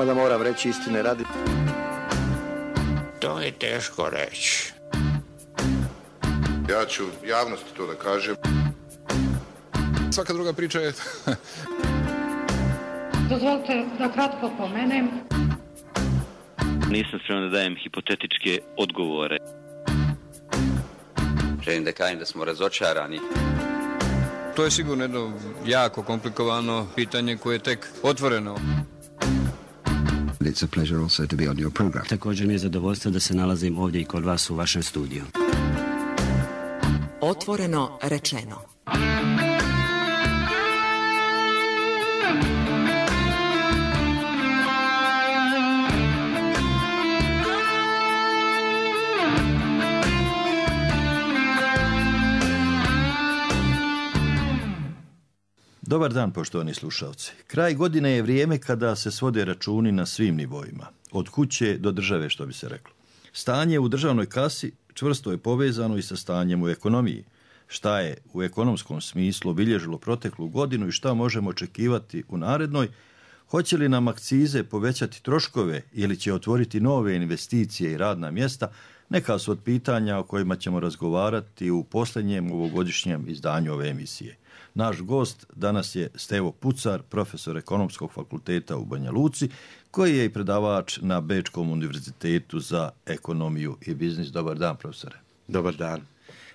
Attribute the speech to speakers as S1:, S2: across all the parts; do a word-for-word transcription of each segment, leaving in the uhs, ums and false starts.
S1: Mada moram reći istine radi.
S2: To je teško reći.
S3: Ja ću javnosti to da kažem.
S4: Svaka druga priča je...
S5: Dozvolite da kratko pomenem.
S6: Nisam spreman da dajem hipotetičke odgovore.
S7: Želim da kažem da smo razočarani.
S4: To je sigurno jedno jako komplikovano pitanje koje je tek otvoreno.
S8: It's a pleasure also to be on your program.
S9: Također mi je zadovoljstvo da se nalazim ovdje i kod vas u vašem studiju.
S10: Otvoreno rečeno.
S11: Dobar dan, poštovani slušalci. Kraj godine je vrijeme kada se svode računi na svim nivoima, od kuće do države, što bi se reklo. Stanje u državnoj kasi čvrsto je povezano i sa stanjem u ekonomiji. Šta je u ekonomskom smislu obilježilo proteklu godinu i šta možemo očekivati u narednoj? Hoće li nam akcize povećati troškove ili će otvoriti nove investicije i radna mjesta? Neka su od pitanja o kojima ćemo razgovarati u posljednjem ovogodišnjem izdanju ove emisije. Naš gost danas je Stevo Pucar, profesor Ekonomskog fakulteta u Banja Luci, koji je i predavač na Bečkom univerzitetu za ekonomiju i biznis. Dobar dan, profesore.
S12: Dobar dan.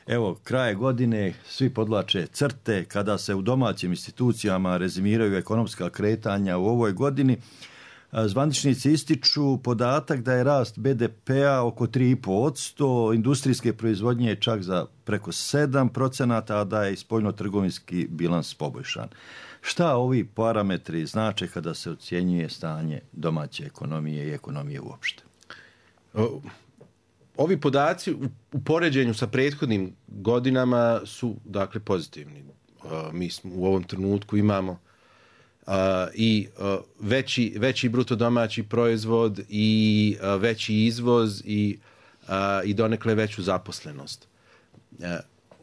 S11: Evo, kraje godine, svi podlače crte kada se u domaćim institucijama rezimiraju ekonomska kretanja u ovoj godini. Zvaničnici ističu podatak da je rast be de pea oko tri i pol posto, industrijske proizvodnje čak za preko sedam procenata, a da je i spoljno-trgovinski bilans poboljšan. Šta ovi parametri znače kada se ocjenjuje stanje domaće ekonomije i ekonomije uopšte?
S12: Ovi podaci u poređenju sa prethodnim godinama su dakle pozitivni. Mi smo u ovom trenutku imamo Uh, i uh, veći, veći bruto domaći proizvod i uh, veći izvoz i, uh, i donekle veću zaposlenost. Uh,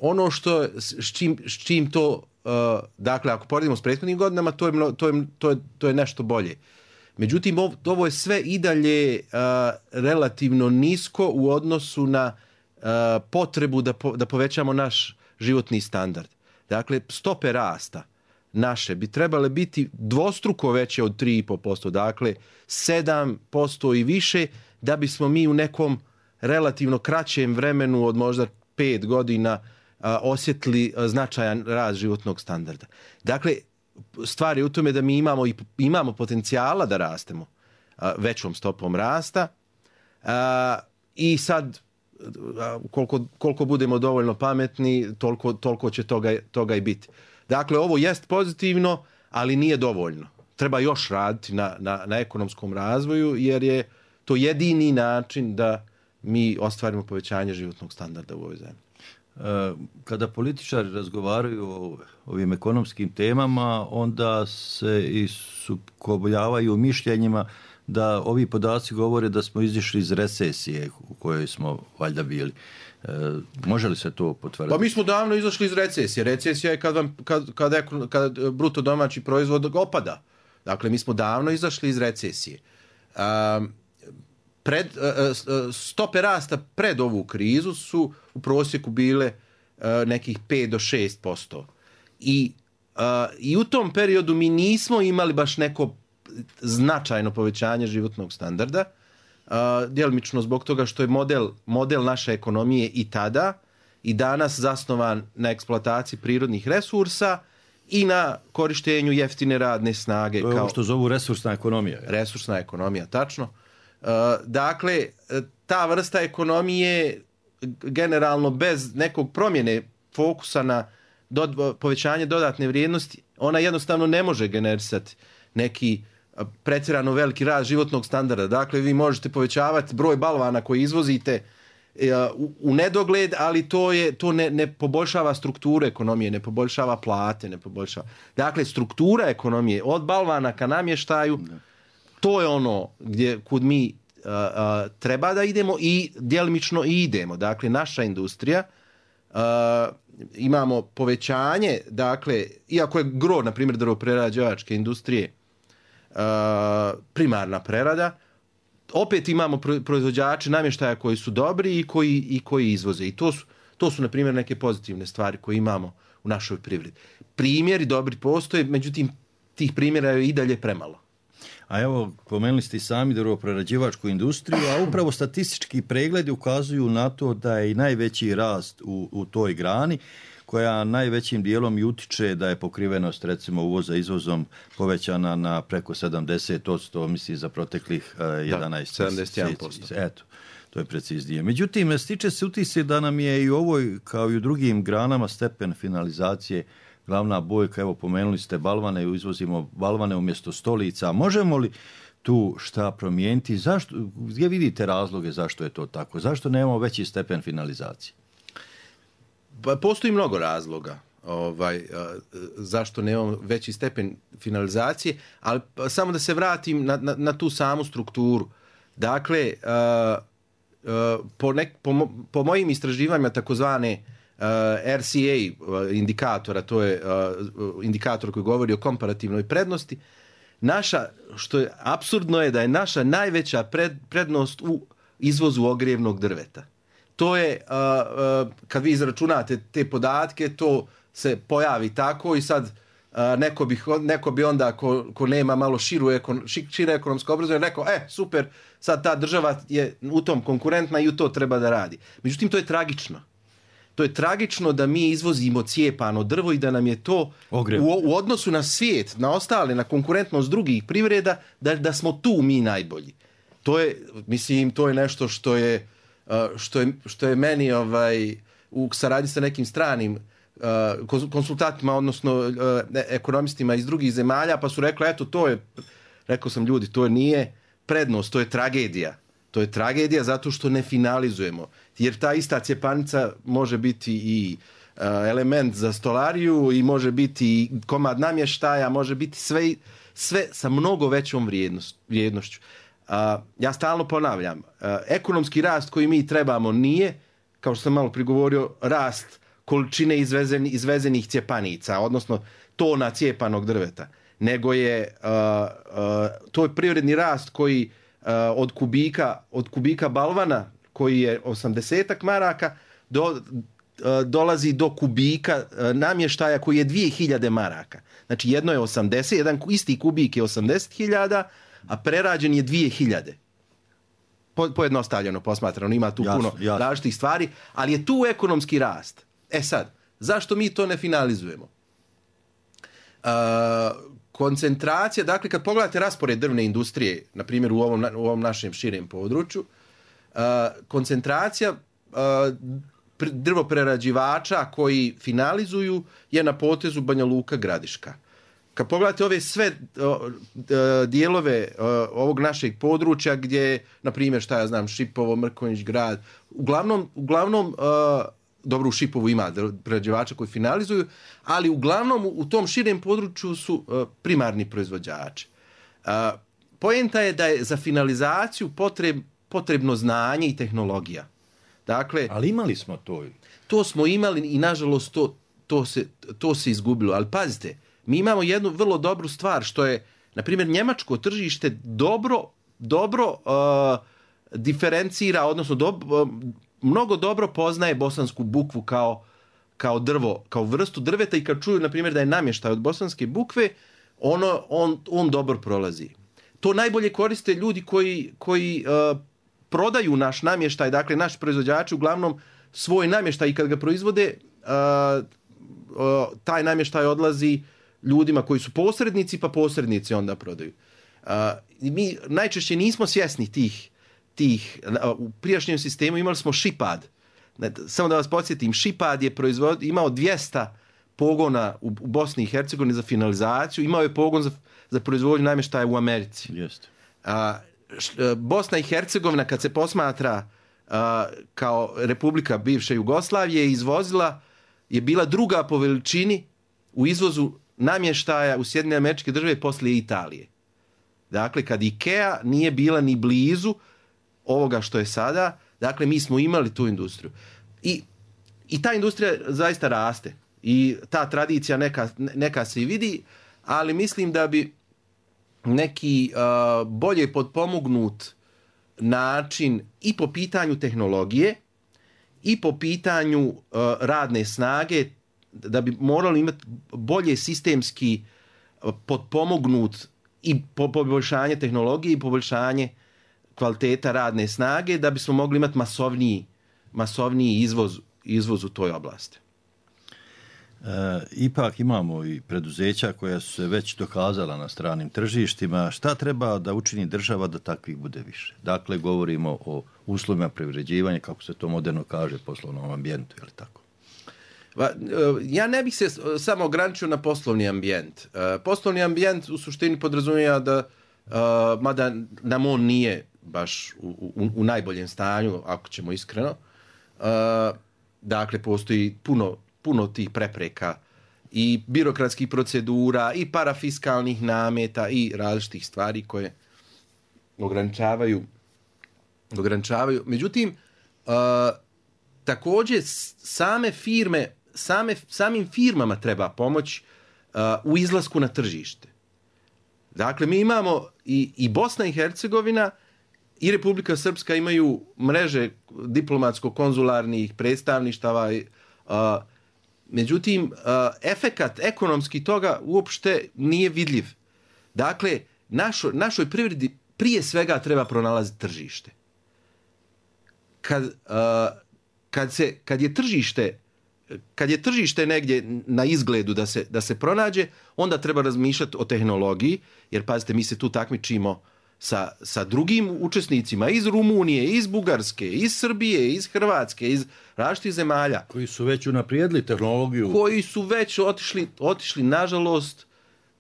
S12: ono što, s čim, s čim to, uh, dakle, ako poredimo s prethodnim godinama, to je, to je, to je, to je nešto bolje. Međutim, ovo, ovo je sve i dalje uh, relativno nisko u odnosu na uh, potrebu da, po, da povećamo naš životni standard. Dakle, stope rasta naše bi trebale biti dvostruko veće od tri i pol posto, dakle sedam posto i više, da bismo mi u nekom relativno kraćem vremenu od možda pet godina a, osjetili a, značajan rast životnog standarda. Dakle, stvar je u tome da mi imamo, i, imamo potencijala da rastemo a, većom stopom rasta a, i sad a, koliko, koliko budemo dovoljno pametni, toliko, toliko će toga, toga i biti. Dakle, ovo jest pozitivno, ali nije dovoljno. Treba još raditi na, na, na ekonomskom razvoju, jer je to jedini način da mi ostvarimo povećanje životnog standarda u ovoj zemlji.
S11: Kada političari razgovaraju o ovim ekonomskim temama, onda se i sukobljavaju mišljenjima da ovi podaci govore da smo izišli iz recesije u kojoj smo valjda bili. E, može li se to potvrditi?
S12: Pa mi smo davno izašli iz recesije. Recesija je kad, vam, kad, kad, kad bruto domaći proizvod opada. Dakle, mi smo davno izašli iz recesije. Um, pred, uh, stope rasta pred ovu krizu su u prosjeku bile uh, nekih pet do šest posto. I, uh, I u tom periodu mi nismo imali baš neko značajno povećanje životnog standarda. Uh, djelimično zbog toga što je model, model naše ekonomije i tada i danas zasnovan na eksploataciji prirodnih resursa i na korištenju jeftine radne snage.
S11: To je kao, ovo što zovu resursna ekonomija. Je.
S12: Resursna ekonomija, tačno. Uh, dakle, ta vrsta ekonomije generalno bez nekog promjene fokusa na do, povećanje dodatne vrijednosti, ona jednostavno ne može generisati neki pretjerano veliki rast životnog standarda. Dakle, vi možete povećavati broj balvana koji izvozite u, u nedogled, ali to je to ne, ne poboljšava strukturu ekonomije, ne poboljšava plate, ne poboljšava. Dakle, struktura ekonomije od balvana ka namještaju, to je ono gdje kud mi a, a, treba da idemo i djelimično i idemo. Dakle, naša industrija a, imamo povećanje, dakle, iako je gro, na primjer, drvoprerađivačke industrije, Uh, primarna prerada. Opet imamo proizvođače namještaja koji su dobri i koji, i koji izvoze. I to su, to su, na primjer, neke pozitivne stvari koje imamo u našoj privredi. Primjeri dobri postoje, međutim, tih primjera je i dalje premalo.
S11: A evo, pomenuli ste i sami drvoprerađivačku industriju, a upravo statistički pregledi ukazuju na to da je i najveći rast u, u toj grani, koja najvećim dijelom i utiče da je pokrivenost recimo uvoza izvozom povećana na preko sedamdeset posto, mislim za proteklih uh, jedanaest.
S12: Da, sedamdeset jedan posto.
S11: Eto, to je preciznije. Međutim, stiče se utisak da nam je i u ovoj, kao i u drugim granama, stepen finalizacije glavna bojka. Evo, pomenuli ste balvane, izvozimo balvane umjesto stolica. Možemo li tu šta promijeniti? Zašto, gdje vidite razloge zašto je to tako? Zašto nemamo veći stepen finalizacije?
S12: Pa postoji mnogo razloga ovaj, zašto nemamo veći stepen finalizacije, ali samo da se vratim na, na, na tu samu strukturu. Dakle, po, nek, po, po mojim istraživanjima takozvane R C A indikatora, to je indikator koji govori o komparativnoj prednosti, naša, što je apsurdno je da je naša najveća pred, prednost u izvozu ogrijevnog drveta. To je, uh, uh, kad vi izračunate te podatke, to se pojavi tako i sad uh, neko, bi, neko bi onda, ko, ko nema malo širu ekon, šire ekonomsko obrazovanje, rekao, e, super, sad ta država je u tom konkurentna i u to treba da radi. Međutim, to je tragično. To je tragično da mi izvozimo cijepano drvo i da nam je to u, u odnosu na svijet, na ostale, na konkurentnost drugih privreda, da, da smo tu mi najbolji. To je, mislim, to je nešto što je što je, što je meni ovaj, u saradnji sa nekim stranim uh, konsultantima, odnosno uh, ekonomistima iz drugih zemalja, pa su rekli, eto, to je, rekao sam ljudi, to nije prednost, to je tragedija. To je tragedija zato što ne finalizujemo. Jer ta ista cjepanica može biti i uh, element za stolariju i može biti i komad namještaja, može biti sve, sve sa mnogo većom vrijednost, vrijednošću. Uh, ja stalno ponavljam, uh, ekonomski rast koji mi trebamo nije, kao što sam malo prigovorio, rast količine izvezen, izvezenih cjepanica, odnosno tona cijepanog drveta, nego je uh, uh, to je privredni rast koji uh, od kubika od kubika balvana koji je osamdeset maraka do, uh, dolazi do kubika uh, namještaja koji je dvije hiljade maraka. Znači jedno je osamdeset, jedan isti kubik je osamdeset hiljada, a prerađen je dvije hiljade. Po, pojednostavljeno posmatrano, ima tu jasno, puno jasno. različitih stvari, ali je tu ekonomski rast. E sad, zašto mi to ne finalizujemo? Uh, koncentracija, dakle, kad pogledate raspored drvne industrije, na primjer u ovom, u ovom našem širem području, uh, koncentracija uh, drvoprerađivača koji finalizuju je na potezu Banja Luka, Gradiška. Kad pogledate ove sve uh, dijelove uh, ovog našeg područja gdje, na primjer, šta ja znam, Šipovo, Mrkonjić, Grad, uglavnom, uglavnom uh, dobro, u Šipovu ima prerađivača koji finalizuju, ali uglavnom u tom širem području su uh, primarni proizvođači. Uh, poenta je da je za finalizaciju potreb, potrebno znanje i tehnologija. Dakle,
S11: ali imali smo to.
S12: To smo imali i nažalost to, to, se, to se izgubilo. Ali pazite, mi imamo jednu vrlo dobru stvar, što je, na primjer, njemačko tržište dobro, dobro uh, diferencira, odnosno do, uh, mnogo dobro poznaje bosansku bukvu kao, kao drvo, kao vrstu drveta i kad čuju, na primjer, da je namještaj od bosanske bukve, ono, on, on dobro prolazi. To najbolje koriste ljudi koji, koji uh, prodaju naš namještaj, dakle, naši proizvođači uglavnom svoj namještaj i kad ga proizvode, uh, uh, taj namještaj odlazi ljudima koji su posrednici, pa posrednici onda prodaju. Uh, mi najčešće nismo svjesni tih, tih uh, u prijašnjem sistemu imali smo Šipad. Samo da vas podsjetim, Šipad je proizvod, imao dvjesto pogona u, u Bosni i Hercegovini za finalizaciju, imao je pogon za, za proizvodnju namještaja u Americi.
S11: Jeste.
S12: Uh, š, Bosna i Hercegovina, kad se posmatra uh, kao republika bivše Jugoslavije, izvozila, je bila druga po veličini u izvozu namještaja u Sjedinjene Američke Države poslije Italije. Dakle, kad IKEA nije bila ni blizu ovoga što je sada, dakle, mi smo imali tu industriju. I, i ta industrija zaista raste. I ta tradicija neka, neka se i vidi, ali mislim da bi neki uh, bolje potpomognut način i po pitanju tehnologije i po pitanju uh, radne snage, da bi morali imati bolje sistemski uh, potpomognut i po poboljšanje tehnologije i poboljšanje kvaliteta radne snage, da bismo mogli imati masovniji, masovniji izvoz, izvoz u toj oblasti.
S11: E, ipak imamo i preduzeća koja su se već dokazala na stranim tržištima. Šta treba da učini država da takvih bude više? Dakle, govorimo o uslovima privređivanja, kako se to moderno kaže, poslovnom ambijentu, je li tako?
S12: Ja ne bih se samo ograničio na poslovni ambijent. Poslovni ambijent u suštini podrazumijeva da, mada nam on nije baš u, u, u najboljem stanju, ako ćemo iskreno, dakle, postoji puno puno tih prepreka i birokratskih procedura i parafiskalnih nameta i različitih stvari koje ograničavaju ograničavaju. Međutim, uh, također same firme, same, samim firmama treba pomoć uh, u izlasku na tržište. Dakle, mi imamo i, i Bosna i Hercegovina i Republika Srpska imaju mreže diplomatsko-konzularnih predstavništava, uh, međutim, uh, efekat ekonomski toga uopšte nije vidljiv. Dakle, našo, našoj privredi prije svega treba pronalaziti tržište. Kad, uh, kad, se, kad je tržište kad je tržište negdje na izgledu da se, da se pronađe, onda treba razmišljati o tehnologiji, jer pazite, mi se tu takmičimo sa, sa drugim učesnicima iz Rumunije, iz Bugarske, iz Srbije, iz Hrvatske, iz različitih zemalja.
S11: Koji su već unaprijedili tehnologiju.
S12: Koji su već otišli, otišli nažalost,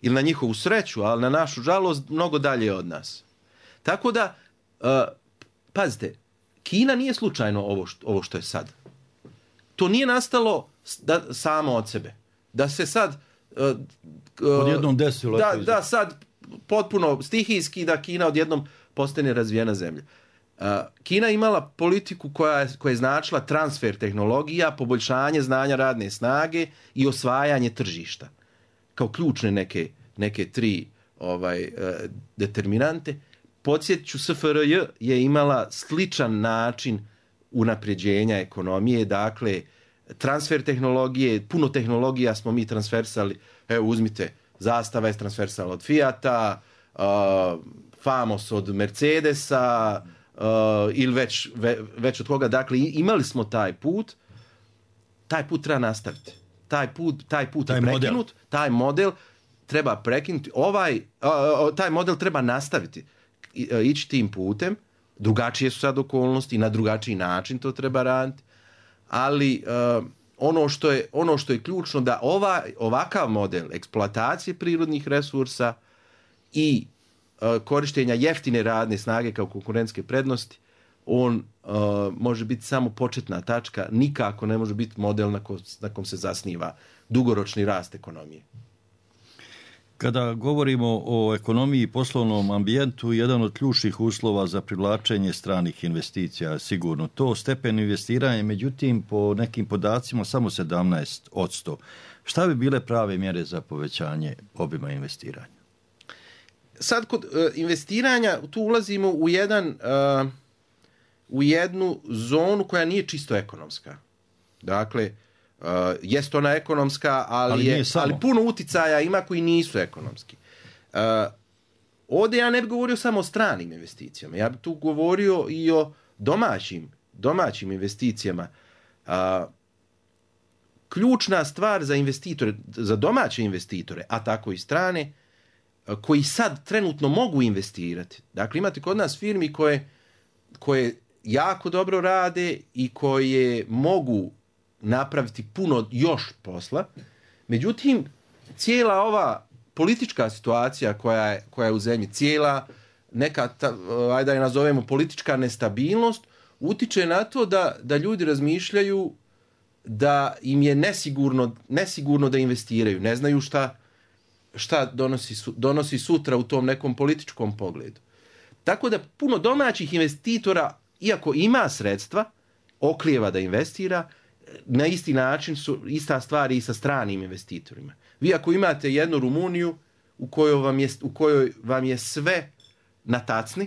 S12: ili na njihovu sreću, ali na našu žalost, mnogo dalje od nas. Tako da, uh, pazite, Kina nije slučajno ovo što, ovo što je sad. To nije nastalo da, samo od sebe. Da se sad... Uh, uh,
S11: odjednom desilo.
S12: Da, da sad potpuno stihijski da Kina odjednom postane razvijena zemlja. Uh, Kina imala politiku koja je, koja je značila transfer tehnologija, poboljšanje znanja radne snage i osvajanje tržišta. Kao ključne neke, neke tri ovaj, uh, determinante. Podsjetit ću, S F R J je imala sličan način unapređenja ekonomije, dakle, transfer tehnologije, puno tehnologija smo mi transversali, evo uzmite, Zastava je transversala od Fijata, uh, Famos od Mercedesa, uh, ili već, ve, već od koga, dakle, imali smo taj put, taj put treba nastaviti. Taj put, taj put taj je prekinut, model. taj model treba prekinuti, ovaj, uh, taj model treba nastaviti, I, uh, ići tim putem. Drugačije su sad okolnosti i na drugačiji način to treba raditi, ali uh, ono, što je, ono što je ključno da ova, ovakav model eksploatacije prirodnih resursa i uh, korištenja jeftine radne snage kao konkurentske prednosti, on uh, može biti samo početna tačka, nikako ne može biti model na, ko, na kom se zasniva dugoročni rast ekonomije.
S11: Kada govorimo o ekonomiji i poslovnom ambijentu, jedan od ključnih uslova za privlačenje stranih investicija je sigurno to stepen investiranja, međutim po nekim podacima samo sedamnaest posto. Šta bi bile prave mjere za povećanje obima investiranja?
S12: Sad kod uh, investiranja tu ulazimo u, jedan, uh, u jednu zonu koja nije čisto ekonomska. Dakle, Uh, jest ona ekonomska, ali, ali, je, ali puno uticaja ima koji nisu ekonomski. Uh, ovdje ja ne bih govorio samo o stranim investicijama. Ja bih tu govorio i o domaćim, domaćim investicijama. Uh, ključna stvar za investitore, za domaće investitore, a tako i strane, uh, koji sad trenutno mogu investirati. Dakle, imate kod nas firmi koje, koje jako dobro rade i koje mogu napraviti puno još posla. Međutim, cijela ova politička situacija koja je, koja je u zemlji, cijela neka, ta, ajde da je nazovemo politička nestabilnost, utiče na to da, da ljudi razmišljaju da im je nesigurno, nesigurno da investiraju. Ne znaju šta, šta donosi, donosi sutra u tom nekom političkom pogledu. Tako da puno domaćih investitora, iako ima sredstva, oklijeva da investira. Na isti način su ista stvar i sa stranim investitorima. Vi ako imate jednu Rumuniju, u kojoj vam je, u kojoj vam je sve na tacni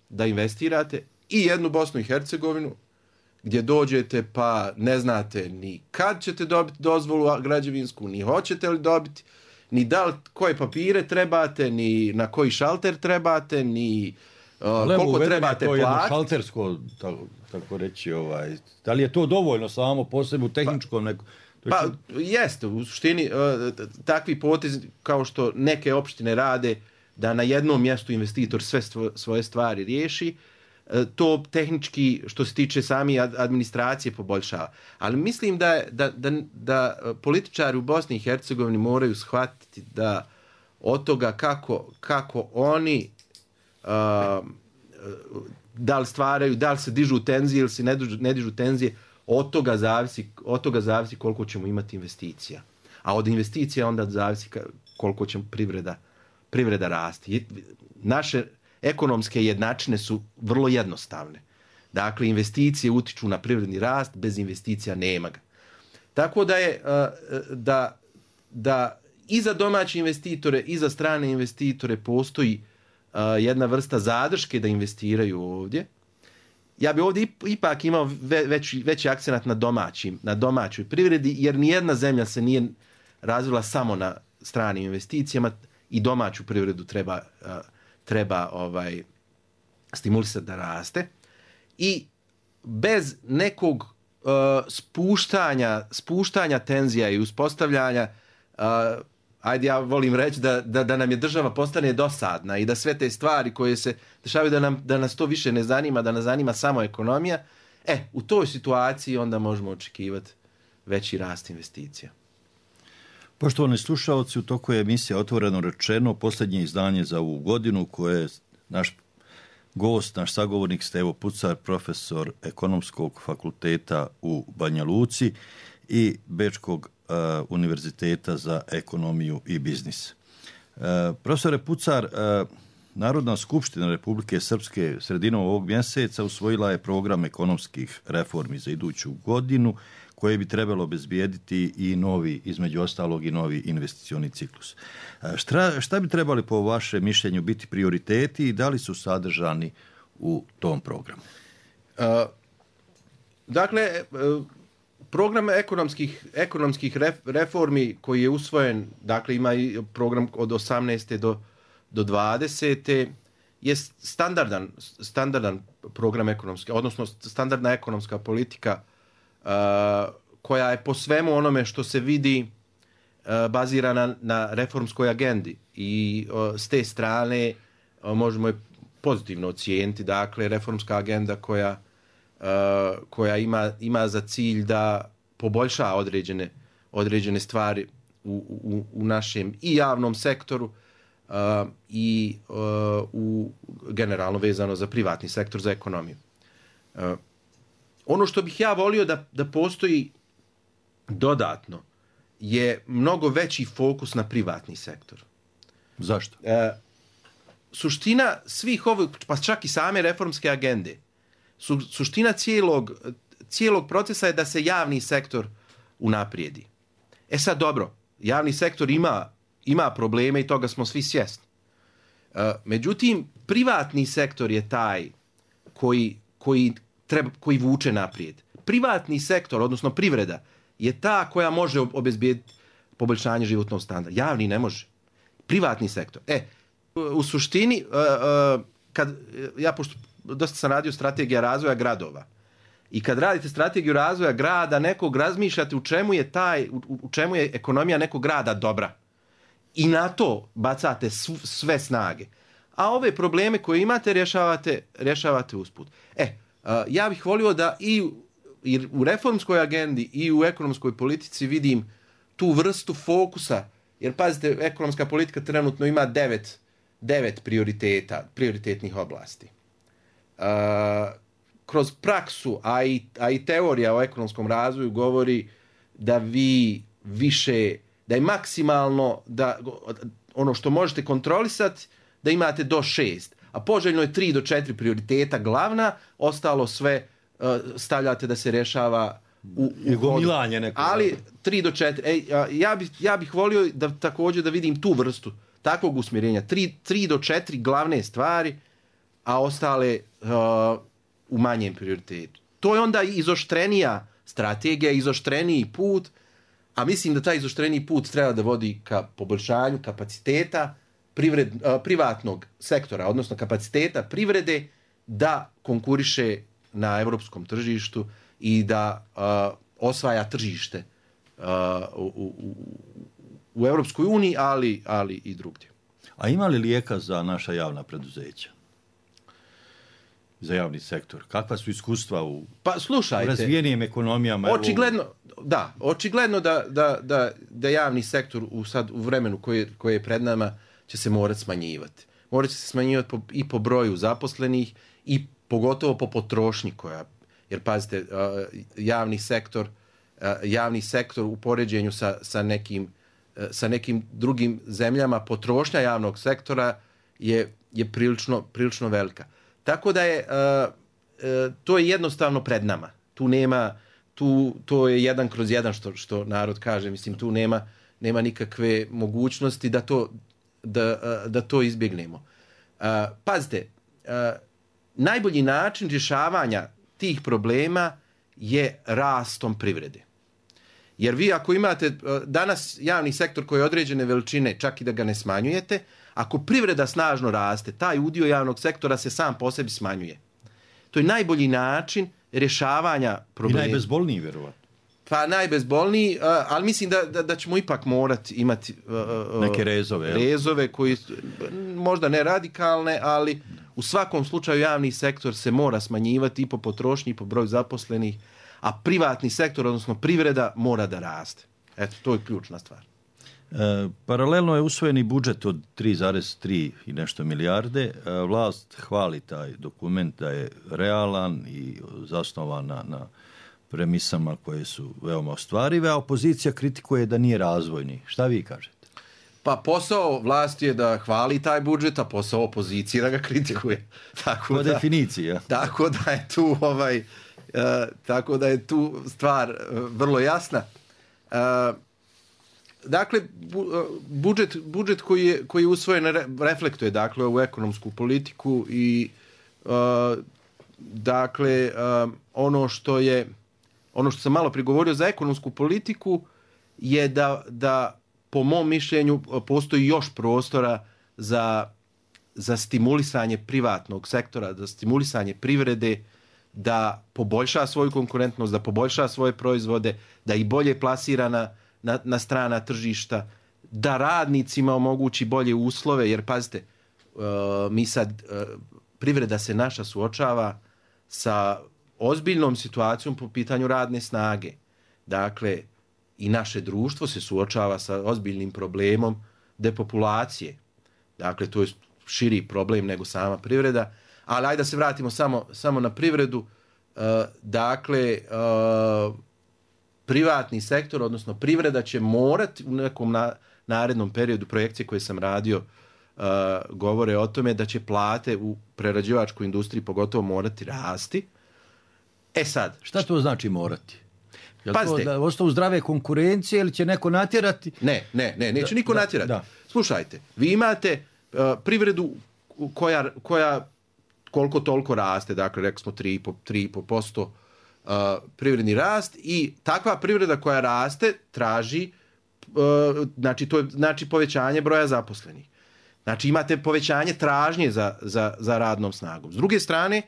S12: da investirate, i jednu Bosnu i Hercegovinu gdje dođete pa ne znate ni kad ćete dobiti dozvolu građevinsku, ni hoćete li dobiti, ni da li koje papire trebate, ni na koji šalter trebate, ni uh, koliko trebate
S11: platiti.
S12: To je
S11: šaltersko, tako, tako reći, ovaj, da li je to dovoljno samo po sebi u tehničkom nekom?
S12: Pa jeste, u suštini uh, takvi potezi kao što neke opštine rade, da na jednom mjestu investitor sve stvo, svoje stvari riješi, uh, to tehnički što se tiče sami administracije poboljšava. Ali mislim da, da, da, da političari u Bosni i Hercegovini moraju shvatiti da od toga kako, kako oni uh, da li stvaraju, da li se dižu tenzije ili se ne dižu, ne dižu tenzije, od toga zavisi, od toga zavisi koliko ćemo imati investicija. A od investicija onda zavisi koliko će privreda, privreda rasti. Naše ekonomske jednačine su vrlo jednostavne. Dakle, investicije utiču na privredni rast, bez investicija nema ga. Tako da je da, da i za domaće investitore i za strane investitore postoji jedna vrsta zadrške da investiraju ovdje. Ja bi ovdje ipak imao veći, veći akcenat na, domaćim, na domaćoj privredi, jer nijedna zemlja se nije razvila samo na stranim investicijama, i domaću privredu treba, treba ovaj, stimulisati da raste. I bez nekog uh, spuštanja, spuštanja tenzija i uspostavljanja, uh, ajde ja volim reći da, da, da nam je država postane dosadna i da sve te stvari koje se dešavaju da, nam, da nas to više ne zanima, da nas zanima samo ekonomija, e, u toj situaciji onda možemo očekivati veći rast investicija.
S11: Poštovani slušalci, u toku je emisija Otvoreno rečeno, posljednje izdanje za ovu godinu, koje je naš gost, naš sagovornik Stevo Pucar, profesor Ekonomskog fakulteta u Banja Luci i Bečkog uh, univerziteta za ekonomiju i biznis. Uh, profesore Pucar, uh, Narodna skupština Republike Srpske sredinom ovog mjeseca usvojila je program ekonomskih reformi za iduću godinu, koje bi trebalo obezbijediti i novi, između ostalog i novi investicioni ciklus. Šta, šta bi trebali po vašem mišljenju biti prioriteti i da li su sadržani u tom programu?
S12: Uh, dakle, uh, program ekonomskih, ekonomskih reformi koji je usvojen, dakle ima i program od osamnaeste do, do dvadesete je standardan, standardan program ekonomske, odnosno standardna ekonomska politika Uh, koja je po svemu onome što se vidi uh, bazirana na reformskoj agendi, i uh, s te strane uh, možemo je pozitivno ocijeniti. Dakle, reformska agenda koja, uh, koja ima, ima za cilj da poboljša određene, određene stvari u, u, u našem i javnom sektoru uh, i uh, u generalno vezano za privatni sektor, za ekonomiju. Uh, Ono što bih ja volio da, da postoji dodatno je mnogo veći fokus na privatni sektor.
S11: Zašto?
S12: E, suština svih ovih, pa čak i same reformske agende, su, suština cijelog, cijelog procesa je da se javni sektor unaprijedi. E sad dobro, javni sektor ima, ima probleme i toga smo svi svjesni. E, međutim, privatni sektor je taj koji, koji Treba, koji vuče naprijed. Privatni sektor, odnosno privreda, je ta koja može obezbijediti poboljšanje životnog standarda. Javni ne može. Privatni sektor. E, u suštini, uh, uh, kad, ja pošto dosta sam radio strategija razvoja gradova, i kad radite strategiju razvoja grada, nekog razmišljate u čemu je taj, u, u čemu je ekonomija nekog grada dobra. I na to bacate sv, sve snage. A ove probleme koje imate rješavate, rješavate usput. E, Uh, ja bih volio da i u, i u reformskoj agendi i u ekonomskoj politici vidim tu vrstu fokusa, jer pazite, ekonomska politika trenutno ima devet, devet prioriteta, prioritetnih oblasti. Uh, kroz praksu, a i, a i teorija o ekonomskom razvoju govori da vi više, da je maksimalno, da ono što možete kontrolisati, da imate do šest. A poželjno je tri do četiri prioriteta glavna, ostalo sve uh, stavljate da se rješava u, u
S11: gomilanje neko.
S12: Ali tri do četiri. Ej, ja, bih, ja bih volio da također da vidim tu vrstu, takvog usmjerenja. Tri, tri do četiri glavne stvari, a ostale uh, u manjem prioritetu. To je onda izoštrenija strategija, izoštreniji put, a mislim da taj izoštreniji put treba da vodi ka poboljšanju kapaciteta privred, uh, privatnog sektora, odnosno kapaciteta privrede da konkuriše na europskom tržištu i da uh, osvaja tržište uh, u, u, u Europskoj uniji, ali, ali i drugdje.
S11: A ima li lijeka za naša javna preduzeća? Za javni sektor? Kakva su iskustva u,
S12: pa, slušajte,
S11: u razvijenijim ekonomijama?
S12: Očigledno, da, očigledno da, da, da, da javni sektor u, sad, u vremenu koje, koje je pred nama će se morati smanjivati. Morat će se smanjivati po, i po broju zaposlenih i pogotovo po potrošnji koja, jer pazite, javni sektor, javni sektor u poređenju sa, sa, nekim, sa nekim drugim zemljama, potrošnja javnog sektora je, je prilično, prilično velika. Tako da je, to je jednostavno pred nama. Tu nema, tu, to je jedan kroz jedan što, što narod kaže, mislim, tu nema, nema nikakve mogućnosti da to, da, da to izbjegnemo. Pazite, najbolji način rješavanja tih problema je rastom privrede. Jer vi ako imate danas javni sektor koji je određene veličine, čak i da ga ne smanjujete, ako privreda snažno raste, taj udio javnog sektora se sam po sebi smanjuje. To je najbolji način rješavanja problema.
S11: I najbezbolniji, vjerovatno.
S12: Pa najbezbolniji, ali mislim da, da, da ćemo ipak morati imati uh,
S11: neke rezove.
S12: Rezove koji možda ne radikalne, ali u svakom slučaju javni sektor se mora smanjivati i po potrošnji i po broju zaposlenih, a privatni sektor, odnosno privreda, mora da raste. Eto, to je ključna stvar.
S11: E, paralelno je usvojeni budžet od tri zarez tri i nešto milijarde. E, vlast hvali taj dokument da je realan i zasnovan na, na premisama koje su veoma ostvarive, a opozicija kritikuje da nije razvojni. Šta vi kažete?
S12: Pa posao vlasti je da hvali taj budžet, a posao opozicije da ga kritikuje. Tako
S11: po
S12: da,
S11: definiciji, ja.
S12: Tako da je tu ovaj, uh, tako da je tu stvar uh, vrlo jasna. Uh, dakle, bu, uh, budžet, budžet koji je, koji je usvojen re, reflektuje dakle ovu ekonomsku politiku i uh, dakle uh, ono što je ono što sam malo prigovorio za ekonomsku politiku je da, da po mom mišljenju postoji još prostora za, za stimulisanje privatnog sektora, za stimulisanje privrede, da poboljša svoju konkurentnost, da poboljša svoje proizvode, da ih bolje plasira na, na, na strana tržišta, da radnicima omogući bolje uslove, jer pazite, uh, mi sad, uh, privreda se naša suočava sa ozbiljnom situacijom po pitanju radne snage. Dakle, i naše društvo se suočava sa ozbiljnim problemom depopulacije. Dakle, to je širi problem nego sama privreda. Ali ajde da se vratimo samo, samo na privredu. Uh, dakle, uh, privatni sektor, odnosno privreda će morati u nekom na, narednom periodu, projekcije koje sam radio, uh, govore o tome da će plate u prerađivačkoj industriji pogotovo morati rasti. E sad.
S11: Šta to znači morati? Je li
S12: Pazite,
S11: to da ostavu zdrave konkurencije ili će neko natjerati?
S12: Ne, ne, ne, neće niko
S11: da,
S12: natjerati.
S11: Da.
S12: Slušajte, vi imate uh, privredu koja, koja koliko toliko raste, dakle rekli smo tri i pol posto uh, privredni rast i takva privreda koja raste traži, uh, znači to je znači povećanje broja zaposlenih. Znači imate povećanje tražnje za, za, za radnom snagom. S druge strane,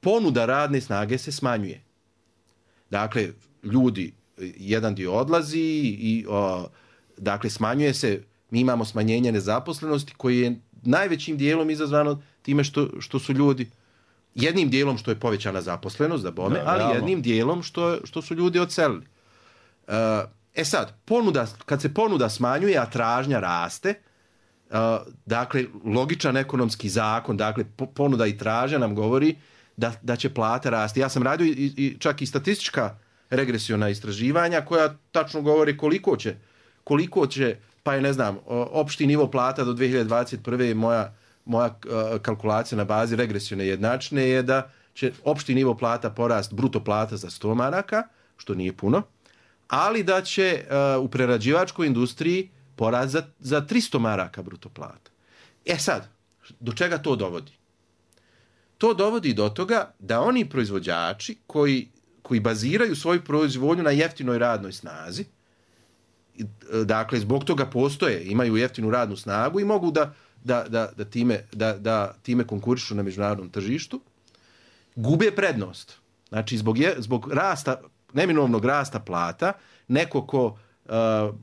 S12: ponuda radne snage se smanjuje. Dakle, ljudi, jedan dio odlazi i o, dakle smanjuje se, mi imamo smanjenje nezaposlenosti koji je najvećim dijelom izazvano time što, što su ljudi, jednim dijelom što je povećana zaposlenost, da bome, da, ali realno. Jednim dijelom što, što su ljudi odselili. E sad, ponuda, kad se ponuda smanjuje, a tražnja raste, dakle, logičan ekonomski zakon, dakle, ponuda i tražnja nam govori da, da će plata rasti. Ja sam radio i, i čak i statistička regresiona istraživanja koja tačno govori koliko će, koliko će, pa je ne znam, opšti nivo plata do dvije hiljade dvadeset prve moja, moja kalkulacija na bazi regresione jednačine je da će opšti nivo plata porast, bruto plata za sto maraka, što nije puno, ali da će uh, u prerađivačkoj industriji porast za, za tristo maraka bruto plata. E sad, do čega to dovodi? To dovodi do toga da oni proizvođači koji, koji baziraju svoju proizvodnju na jeftinoj radnoj snazi, dakle, zbog toga postoje, imaju jeftinu radnu snagu i mogu da, da, da, da, time, da, da time konkurišu na međunarodnom tržištu, gube prednost. Znači, zbog, je, zbog rasta, neminovnog rasta plata, neko ko uh,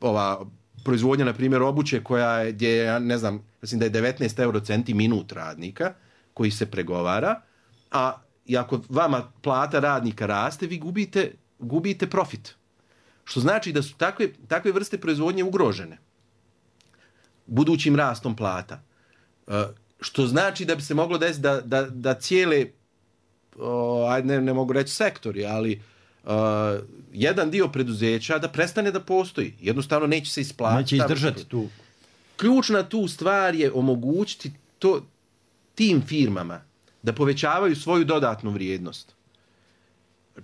S12: ova proizvodnja, na primjer, obuće koja je, gdje je, ne znam, mislim da je devetnaest eurocenti minut radnika koji se pregovara, a i ako vama plata radnika raste, vi gubite, gubite profit. Što znači da su takve, takve vrste proizvodnje ugrožene budućim rastom plata. Uh, što znači da bi se moglo desiti da, da, da cijele, uh, ajde ne, ne mogu reći sektori, ali uh, jedan dio preduzeća da prestane da postoji. Jednostavno neće se isplatiti.
S11: Neće izdržati tu.
S12: Ključna tu stvar je omogućiti to, tim firmama da povećavaju svoju dodatnu vrijednost.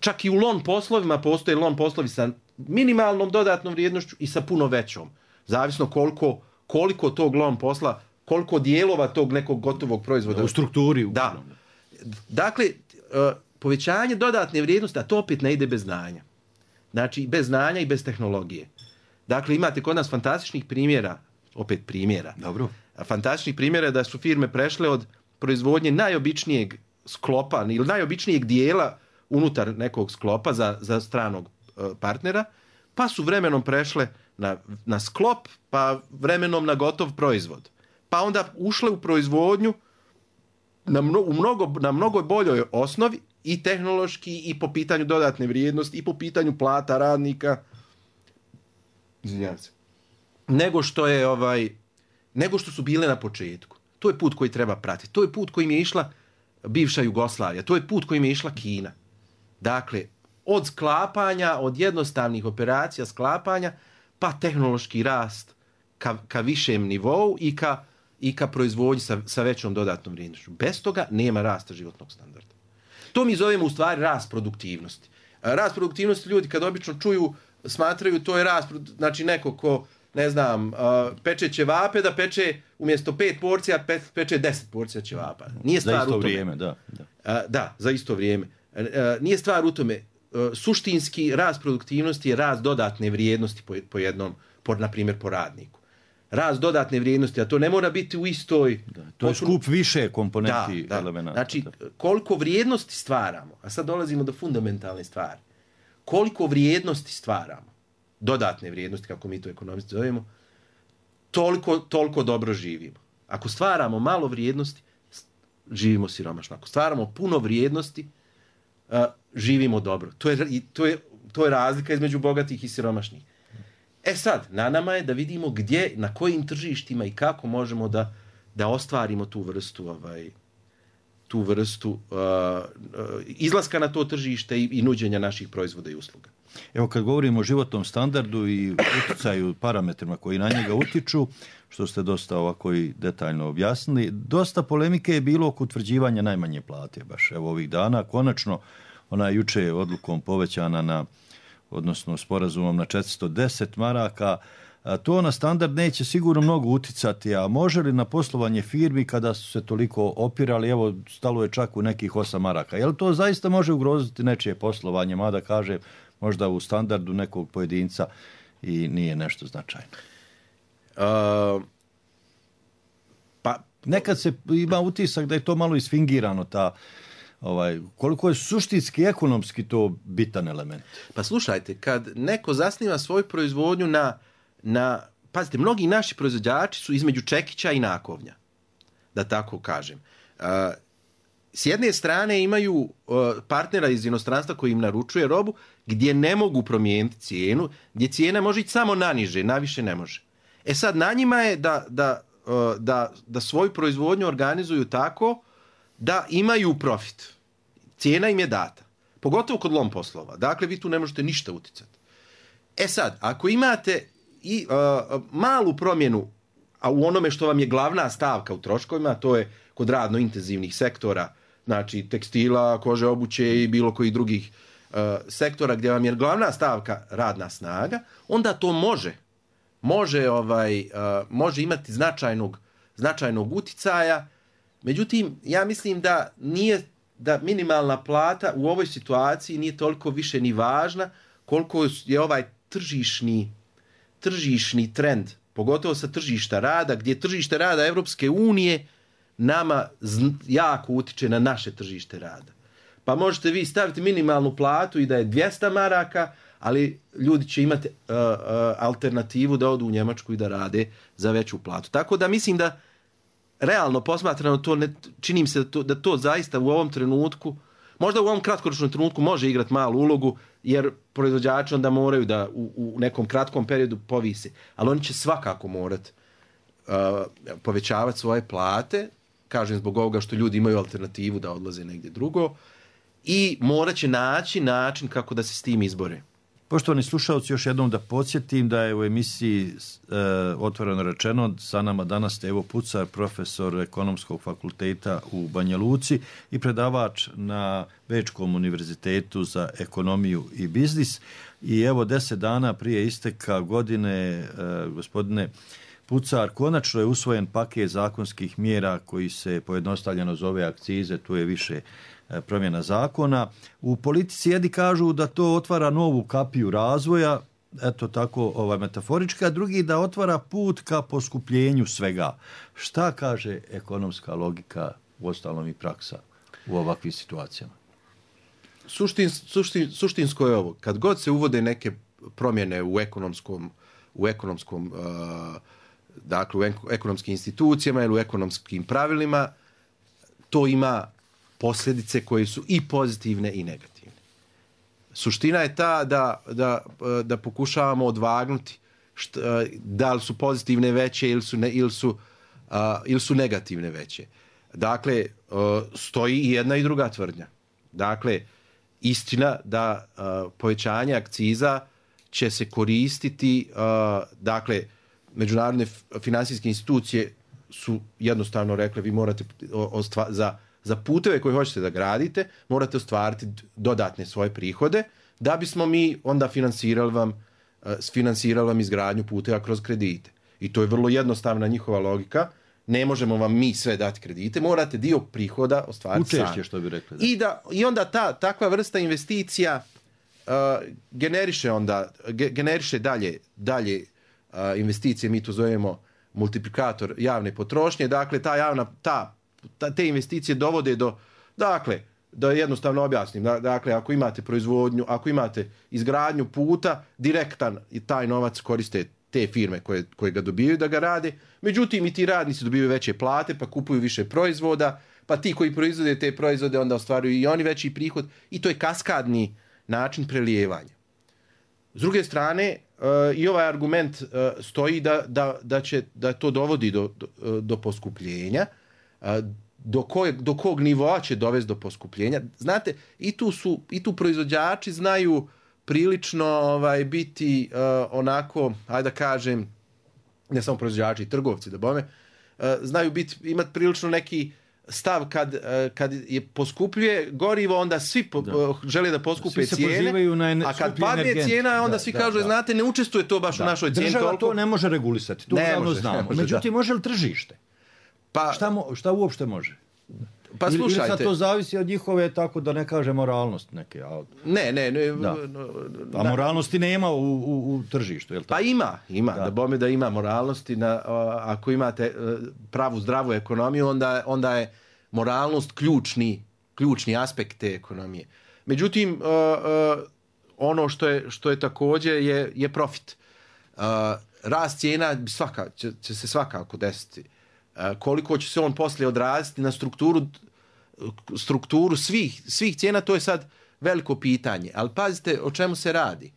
S12: Čak i u lon poslovima postoje lon poslovi sa minimalnom dodatnom vrijednošću i sa puno većom. Zavisno koliko, koliko tog lon posla, koliko dijelova tog nekog gotovog proizvoda.
S11: U strukturi.
S12: Da. Dakle, povećanje dodatne vrijednosti, a to opet ne ide bez znanja. Znači, bez znanja i bez tehnologije. Dakle, imate kod nas fantastičnih primjera, opet primjera.
S11: Dobro.
S12: Fantastičnih primjera da su firme prešle od proizvodnje najobičnijeg sklopa ili najobičnijeg dijela unutar nekog sklopa za, za stranog partnera, pa su vremenom prešle na, na sklop, pa vremenom na gotov proizvod. Pa onda ušle u proizvodnju na, mno, u mnogo, na mnogo boljoj osnovi i tehnološki i po pitanju dodatne vrijednosti i po pitanju plata radnika. Izvinjavam se. Nego što je ovaj, nego što su bile na početku. To je put koji treba pratiti. To je put kojim je išla bivša Jugoslavija. To je put kojim je išla Kina. Dakle, od sklapanja, od jednostavnih operacija sklapanja, pa tehnološki rast ka, ka višem nivou i ka, i ka proizvodnji sa, sa većom dodatnom vrijednošću. Bez toga nema rasta životnog standarda. To mi zovemo u stvari rast produktivnosti. Rast produktivnosti ljudi kad obično čuju, smatraju to je rast, znači neko ko, ne znam, peče ćevape da peče umjesto pet porcija, pe, peče deset porcija ćevapa. Nije stvar
S11: za isto
S12: u tome.
S11: Vrijeme, da, da.
S12: Da, za isto vrijeme. Nije stvar u tome. Suštinski rast produktivnosti je rast dodatne vrijednosti po, po jednom, po, na primjer po radniku. Rast dodatne vrijednosti, a to ne mora biti u istoj...
S11: Da, to je skup više komponenti
S12: da, da.
S11: elemenata.
S12: Znači,
S11: da.
S12: koliko vrijednosti stvaramo, a sad dolazimo do fundamentalne stvari, koliko vrijednosti stvaramo, dodatne vrijednosti, kako mi to ekonomisti zovemo, toliko, toliko dobro živimo. Ako stvaramo malo vrijednosti, živimo siromašno. Ako stvaramo puno vrijednosti, uh, živimo dobro. To je, to, je, to je razlika između bogatih i siromašnih. E sad, na nama je da vidimo gdje, na kojim tržištima i kako možemo da, da ostvarimo tu vrstu, ovaj, tu vrstu uh, uh, izlaska na to tržište i, i nuđenja naših proizvoda i usluga.
S11: Evo kad govorimo o životnom standardu i utjecaju parametrima koji na njega utiču, što ste dosta ovako i detaljno objasnili, dosta polemike je bilo oko utvrđivanja najmanje plate baš evo ovih dana. Konačno, ona je juče odlukom povećana na, odnosno sporazumom na četiristo deset maraka. A to na standard neće sigurno mnogo uticati, a može li na poslovanje firmi kada su se toliko opirali, evo stalo je čak u nekih osam maraka. Je li to zaista može ugroziti nečije poslovanje, mada kaže možda u standardu nekog pojedinca i nije nešto značajno?
S12: Uh, pa
S11: nekad se ima utisak da je to malo isfingirano, ta, ovaj, koliko je suštinski ekonomski to bitan element.
S12: Pa slušajte, kad neko zasniva svoju proizvodnju na, na pazite, mnogi naši proizvođači su između čekića i nakovnja, da tako kažem. Uh, S jedne strane imaju uh, partnera iz inostranstva koji im naručuje robu gdje ne mogu promijeniti cijenu, gdje cijena može ići samo naniže, naviše ne može. E sad, na njima je da, da, uh, da, da svoju proizvodnju organizuju tako da imaju profit. Cijena im je data. Pogotovo kod lom poslova. Dakle, vi tu ne možete ništa uticati. E sad, ako imate i uh, malu promjenu, a u onome što vam je glavna stavka u troškovima, to je kod radno intenzivnih sektora, znači tekstila, kože, obuće i bilo kojih drugih uh, sektora gdje vam je glavna stavka radna snaga, onda to može može, ovaj, uh, može imati značajnog, značajnog uticaja. Međutim, ja mislim da nije da minimalna plata u ovoj situaciji nije toliko više ni važna koliko je ovaj tržišni, tržišni trend, pogotovo sa tržišta rada, gdje tržište rada Evropske unije nama jako utiče na naše tržište rada. Pa možete vi staviti minimalnu platu i da je dvjesto maraka, ali ljudi će imati uh, uh, alternativu da odu u Njemačku i da rade za veću platu. Tako da mislim da realno posmatrano to ne, činim se da to, da to zaista u ovom trenutku, možda u ovom kratkoročnom trenutku može igrati malu ulogu, jer proizvođači onda moraju da u, u nekom kratkom periodu povise. Ali oni će svakako morati uh, povećavati svoje plate, kažem zbog ovoga što ljudi imaju alternativu da odlaze negdje drugo, i morat će naći način kako da se s tim izbore.
S11: Poštovani slušalci, još jednom da podsjetim da je u emisiji e, otvoreno rečeno sa nama danas Stevo Pucar, profesor Ekonomskog fakulteta u Banja Luci i predavač na Bečkom univerzitetu za ekonomiju i biznis. I evo deset dana prije isteka godine, e, gospodine Pucar, konačno je usvojen paket zakonskih mjera koji se pojednostavljeno zove akcize, tu je više promjena zakona. U politici jedni kažu da to otvara novu kapiju razvoja, eto tako ovaj, metaforička, drugi da otvara put ka poskupljenju svega. Šta kaže ekonomska logika, uostalom i praksa u ovakvim situacijama?
S12: Suštin, suštin, suštinsko je ovo. Kad god se uvode neke promjene u ekonomskom, u ekonomskom uh, dakle u ekonomskim institucijama ili u ekonomskim pravilima, to ima posljedice koje su i pozitivne i negativne. Suština je ta da, da, da pokušavamo odvagnuti šta, da li su pozitivne veće ili su, ne, ili su, uh, ili su negativne veće. Dakle, uh, stoji i jedna i druga tvrdnja. Dakle, istina da uh, povećanje akciza će se koristiti, uh, dakle, međunarodne finansijske institucije su jednostavno rekle vi morate ostva, za, za puteve koje hoćete da gradite, morate ostvariti dodatne svoje prihode da bismo mi onda finansirali vam, uh, finansirali vam izgradnju puteva kroz kredite. I to je vrlo jednostavna njihova logika. Ne možemo vam mi sve dati kredite, morate dio prihoda ostvariti sami.
S11: Učešće, što bi rekli. Da.
S12: I, da, I onda ta takva vrsta investicija uh, generiše onda, ge, generiše dalje, dalje uh, investicije, mi to zovemo multiplikator javne potrošnje, dakle ta javna, ta, ta, te investicije dovode do, dakle, da jednostavno objasnim, dakle ako imate proizvodnju, ako imate izgradnju puta, direktan i taj novac koriste te firme koje, koje ga dobijaju da ga rade, međutim i ti radnici dobivaju veće plate, pa kupuju više proizvoda, pa ti koji proizvode te proizvode onda ostvaruju i oni veći prihod i to je kaskadni način prelijevanja. S druge strane, uh, i ovaj argument uh, stoji da, da, da, će, da to dovodi do, do, do poskupljenja, uh, do, kojeg, do kog nivoa će dovesti do poskupljenja. Znate, i tu, su, i tu proizvođači znaju prilično ovaj, biti uh, onako, ajde da kažem, ne samo proizvođači i trgovci, da bome, uh, znaju biti, imati prilično neki stav kad, uh, kad je poskupljuje gorivo, onda svi po, uh, žele da poskupe cijene, a kad padne energent. Cijena, onda da, svi da, kažu, da. Znate, ne učestvuje to baš da. u našoj cijeni.
S11: Država
S12: toliko.
S11: To ne može regulisati, to ne može, znamo. Ne može, međutim, da. može li tržište? Pa, šta, mo, šta uopšte može?
S12: Pa
S11: ili,
S12: slušajte.
S11: ili sad to zavisi od njihove, tako da ne kaže moralnost neke. A...
S12: Ne, ne. ne
S11: da. A moralnosti nema u, u, u tržištu, je li tako?
S12: Pa ima, ima. Da, da bome da ima moralnosti. Na, ako imate pravu zdravu ekonomiju, onda, onda je moralnost ključni, ključni aspekt te ekonomije. Međutim, uh, uh, ono što je, što je također je, je profit. Uh, rast cijena svaka, će, će se svakako desiti. Koliko će se on poslije odraziti na strukturu, strukturu svih, svih cijena, to je sad veliko pitanje. Ali pazite o čemu se radi.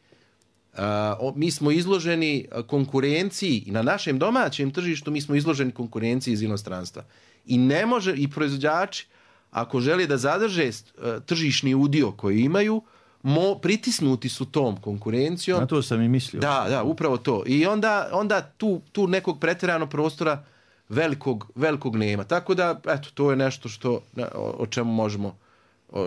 S12: Mi smo izloženi konkurenciji i na našem domaćem tržištu mi smo izloženi konkurenciji iz inostranstva. I ne može, i proizvođači, ako žele da zadrže tržišni udio koji imaju, mo, pritisnuti su tom konkurencijom.
S11: Na to sam i mislio.
S12: Da, da, upravo to. I onda, onda tu, tu nekog pretjeranog prostora velikog, velikog nema. Tako da, eto, to je nešto što, o čemu možemo o,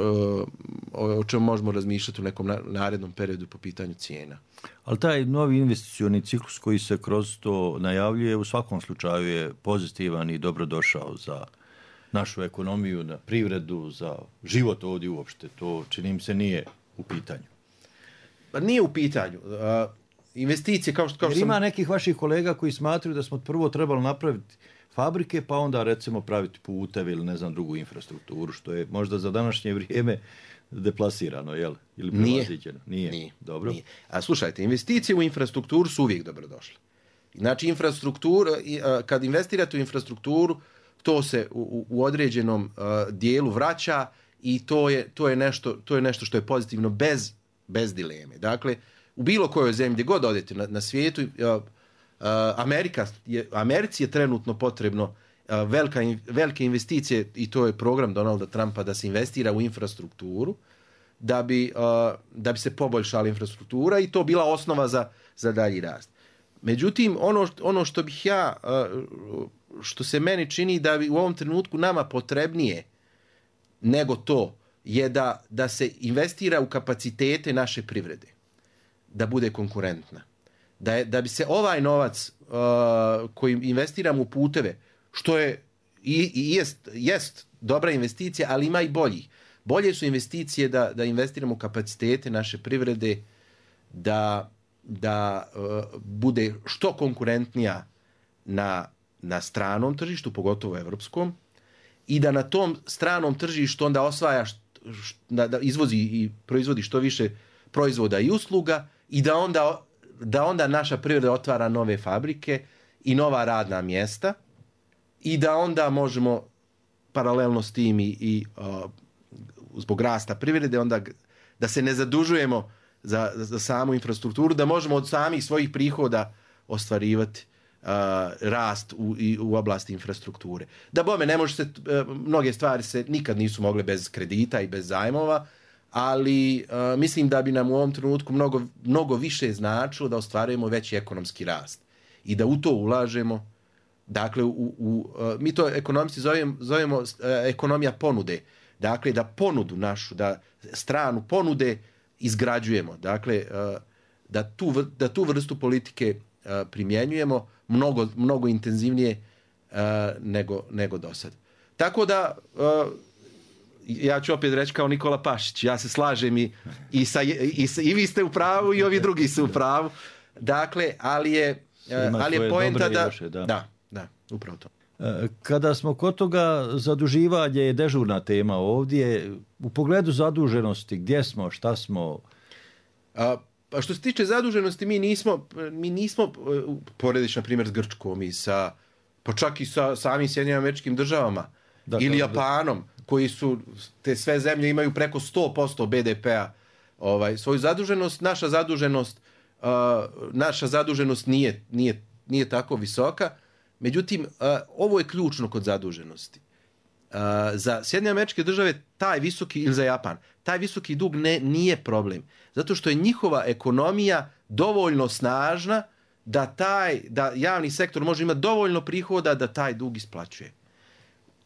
S12: o, o čemu možemo razmišljati u nekom na, narednom periodu po pitanju cijena.
S11: Ali taj novi investicioni ciklus koji se kroz to najavljuje u svakom slučaju je pozitivan i dobrodošao za našu ekonomiju, na privredu, za život ovdje uopšte. To čini mi se nije u pitanju.
S12: Pa nije u pitanju. Uh, investicije kao što, kao što
S11: Jer ima
S12: sam...
S11: nekih vaših kolega koji smatraju da smo prvo trebali napraviti fabrike, pa onda recimo praviti puteve ili ne znam drugu infrastrukturu, što je možda za današnje vrijeme deplasirano, jel? Ili prevaziđeno? Nije.
S12: Nije.
S11: Dobro.
S12: Nije. A slušajte, investicije u infrastrukturu su uvijek dobrodošle. Znači, infrastruktura, kad investirate u infrastrukturu, to se u, u određenom uh, dijelu vraća i to je, to je, nešto, to je nešto što je pozitivno bez, bez dileme. Dakle, u bilo kojoj zemlji, gdje god odete na, na svijetu, uh, uh, Amerika je, Americi je trenutno potrebno uh, velika, velike investicije i to je program Donalda Trumpa da se investira u infrastrukturu da bi, uh, da bi se poboljšala infrastruktura i to bila osnova za, za dalji rast. Međutim, ono, ono što bih ja, uh, što se meni čini da bi u ovom trenutku nama potrebnije nego to je da, da se investira u kapacitete naše privrede, da bude konkurentna. Da, je, da bi se ovaj novac uh, koji investiramo u puteve, što je i, i jest, jest dobra investicija, ali ima i boljih. Bolje su investicije da, da investiramo u kapacitete naše privrede, da, da uh, bude što konkurentnija na, na stranom tržištu, pogotovo evropskom, i da na tom stranom tržištu onda osvaja, št, št, da, da izvozi i proizvodi što više proizvoda i usluga i da onda, da onda naša privreda otvara nove fabrike i nova radna mjesta i da onda možemo paralelno s tim i, i uh, zbog rasta privrede onda da se ne zadužujemo za, za samu infrastrukturu, da možemo od samih svojih prihoda ostvarivati uh, rast u, i, u oblasti infrastrukture. Da bome, ne može se, uh, mnoge stvari se nikad nisu mogle bez kredita i bez zajmova, ali uh, mislim da bi nam u ovom trenutku mnogo, mnogo više značilo da ostvarujemo veći ekonomski rast i da u to ulažemo. Dakle, u, u, uh, mi to ekonomisti zovemo, zovemo uh, ekonomija ponude. Dakle, da ponudu našu, da stranu ponude izgrađujemo. Dakle, uh, da, tu, da tu vrstu politike uh, primjenjujemo mnogo, mnogo intenzivnije uh, nego, nego do sad. Tako da, uh, ja ću opet reći kao Nikola Pašić, ja se slažem i, i, sa, i, sa, i vi ste u pravu i ovi drugi su u pravu. Dakle, ali je, uh, ali je poenta da, loše, da... Da, da, upravo to.
S11: Kada smo kod toga, zaduživanje je dežurna tema ovdje. U pogledu zaduženosti, gdje smo, šta smo?
S12: A, pa što se tiče zaduženosti, mi nismo, mi nismo porediš, na primjer, s Grčkom i sa, pa čak i sa samim Sjedinjenim Američkim Državama da, ili da, Japanom, da. Koji su, te sve zemlje imaju preko sto posto be de pea ovaj, svoju zaduženost. Naša zaduženost, uh, naša zaduženost nije, nije, nije tako visoka. Međutim, uh, ovo je ključno kod zaduženosti. Uh, za Sjedinjene Američke Države taj visoki, ili za Japan, taj visoki dug ne, nije problem. Zato što je njihova ekonomija dovoljno snažna da, taj, da javni sektor može imati dovoljno prihoda da taj dug isplaćuje.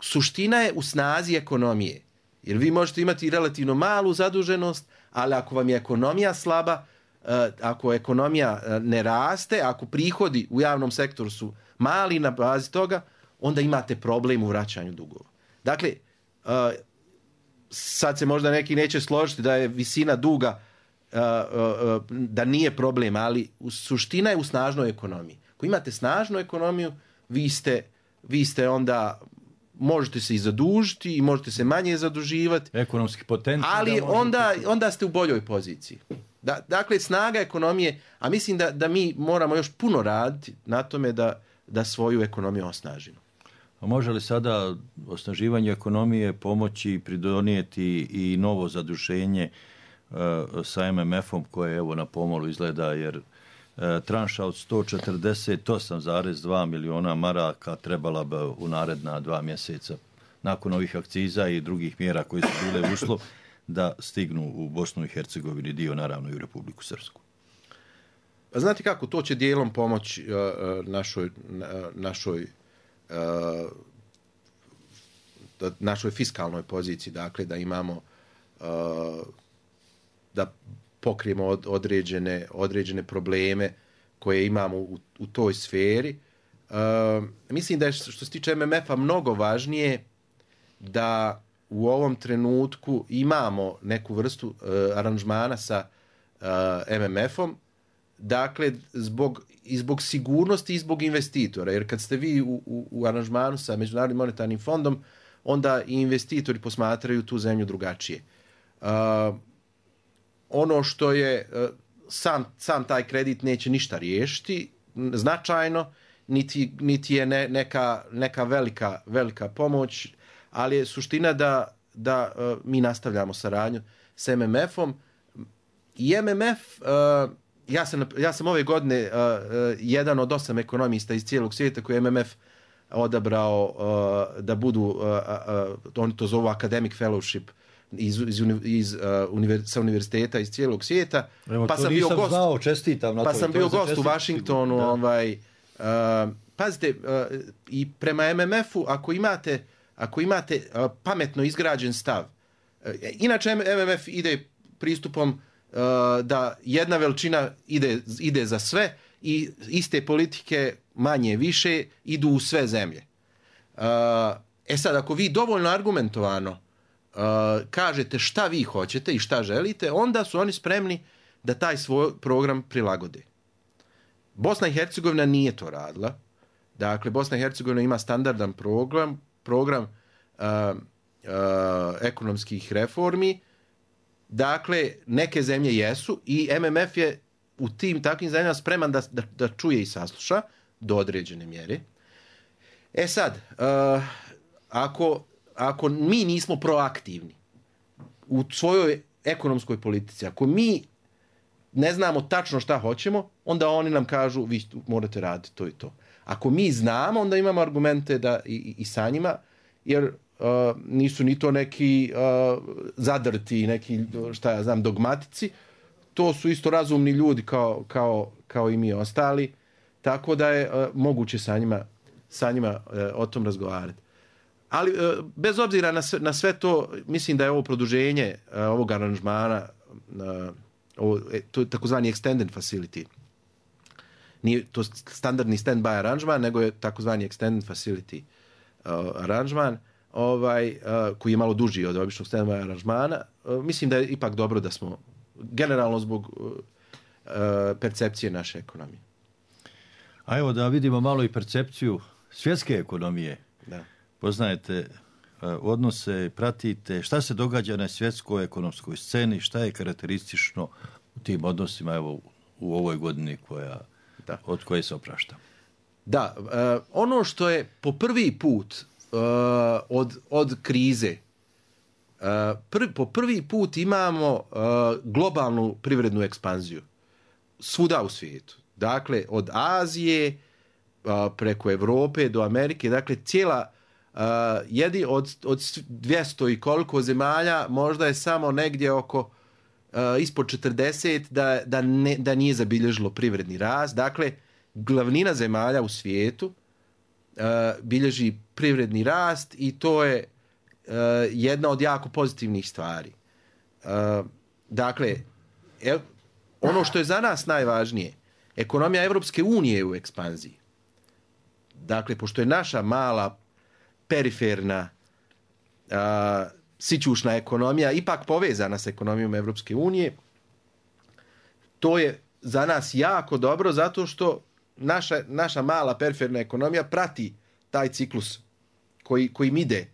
S12: Suština je u snazi ekonomije. Jer vi možete imati relativno malu zaduženost, ali ako vam je ekonomija slaba, uh, ako ekonomija uh, ne raste, ako prihodi u javnom sektoru su mali na bazi toga, onda imate problem u vraćanju dugova. Dakle, uh, sad se možda neki neće složiti da je visina duga uh, uh, da nije problem, ali suština je u snažnoj ekonomiji. Ako imate snažnu ekonomiju, vi ste, vi ste onda, možete se i zadužiti i možete se manje zaduživati.
S11: Ekonomski potencijal.
S12: Ali onda, onda ste u boljoj poziciji. Da, dakle, snaga ekonomije, a mislim da, da mi moramo još puno raditi na tome da da svoju ekonomiju osnažimo.
S11: A može li sada osnaživanje ekonomije pomoći pridonijeti i novo zaduženje uh, sa em em efom koje evo na pomolu izgleda, jer uh, tranša od sto četrdeset osam zarez dva miliona maraka trebala bi u naredna dva mjeseca nakon ovih akciza i drugih mjera koje su bile uslov da stignu u Bosnu i Hercegovini, dio naravno i u Republiku Srpsku.
S12: Znate kako, to će dijelom pomoći uh, našoj, uh, našoj, uh, našoj fiskalnoj poziciji, dakle da imamo da pokrijemo od, određene, određene probleme koje imamo u, u toj sferi. Uh, mislim da je što se tiče M M F-a mnogo važnije da u ovom trenutku imamo neku vrstu uh, aranžmana sa uh, M M F-om, dakle zbog, i zbog sigurnosti i zbog investitora, jer kad ste vi u, u, u aranžmanu sa Međunarodnim monetarnim fondom, onda i investitori posmatraju tu zemlju drugačije. Uh, ono što je uh, sam, sam taj kredit neće ništa riješiti značajno, niti, niti je ne, neka, neka velika, velika pomoć, ali je suština da, da uh, mi nastavljamo saradnju s M M F-om. I M M F, uh, ja, sam, ja sam ove godine uh, uh, jedan od osam ekonomista iz cijelog svijeta koji je M M F odabrao uh, da budu, uh, uh, oni to zovu academic fellowship, iz, iz, iz, uh, univer, sa univerziteta iz cijelog svijeta.
S11: Evo, pa sam bio gost,
S12: znao,
S11: čestitam na
S12: pa
S11: to.
S12: sam
S11: to
S12: bio gost u Washingtonu. Ovaj, uh, pazite, uh, i prema M M F-u, ako imate, ako imate uh, pametno izgrađen stav, uh, inače M M F ide pristupom uh, da jedna veličina ide, ide za sve i iste politike manje više idu u sve zemlje. Uh, e sad, ako vi dovoljno argumentovano Uh, kažete šta vi hoćete i šta želite, onda su oni spremni da taj svoj program prilagode. Bosna i Hercegovina nije to radila. Dakle, Bosna i Hercegovina ima standardan program, program uh, uh, ekonomskih reformi. Dakle, neke zemlje jesu i M M F je u tim takvim zemljama spreman da, da, da čuje i sasluša do određene mjere. E sad, uh, ako ako mi nismo proaktivni u svojoj ekonomskoj politici, ako mi ne znamo tačno šta hoćemo, onda oni nam kažu vi morate raditi to i to. Ako mi znamo, onda imamo argumente da i, i, i sa njima, jer uh, nisu ni to neki uh, zadrti, neki, šta ja znam, dogmatici. To su isto razumni ljudi kao, kao, kao i mi ostali, tako da je uh, moguće sa njima, sa njima uh, o tom razgovarati. Ali bez obzira na sve, na sve to, mislim da je ovo produženje uh, ovog aranžmana, uh, ovo, to je takozvani extended facility. Nije to standardni stand-by aranžman, nego je takozvani extended facility uh, aranžman, ovaj, uh, koji je malo duži od običnog stand-by aranžmana. Uh, mislim da je ipak dobro da smo, generalno zbog uh, uh, percepcije naše ekonomije.
S11: A evo da vidimo malo i percepciju svjetske ekonomije.
S12: Da.
S11: Poznajete odnose, pratite šta se događa na svjetskoj ekonomskoj sceni, šta je karakteristično u tim odnosima evo, u ovoj godini koja,
S12: da.
S11: od koje se oprašta.
S12: Da, uh, ono što je po prvi put uh, od, od krize, uh, prvi, po prvi put imamo uh, globalnu privrednu ekspanziju svuda u svijetu. Dakle, od Azije uh, preko Evrope do Amerike, dakle cijela Uh, jedi od, od dvjesto i koliko zemalja, možda je samo negdje oko uh, ispod četrdeset da, da, ne, da nije zabilježilo privredni rast. Dakle, glavnina zemalja u svijetu uh, bilježi privredni rast i to je uh, jedna od jako pozitivnih stvari. Uh, dakle, e, ono što je za nas najvažnije, ekonomija Evropske unije je u ekspanziji. Dakle, pošto je naša mala periferna a, sićušna ekonomija ipak povezana s ekonomijom Evropske unije, to je za nas jako dobro zato što naša, naša mala periferna ekonomija prati taj ciklus koji, kojim ide.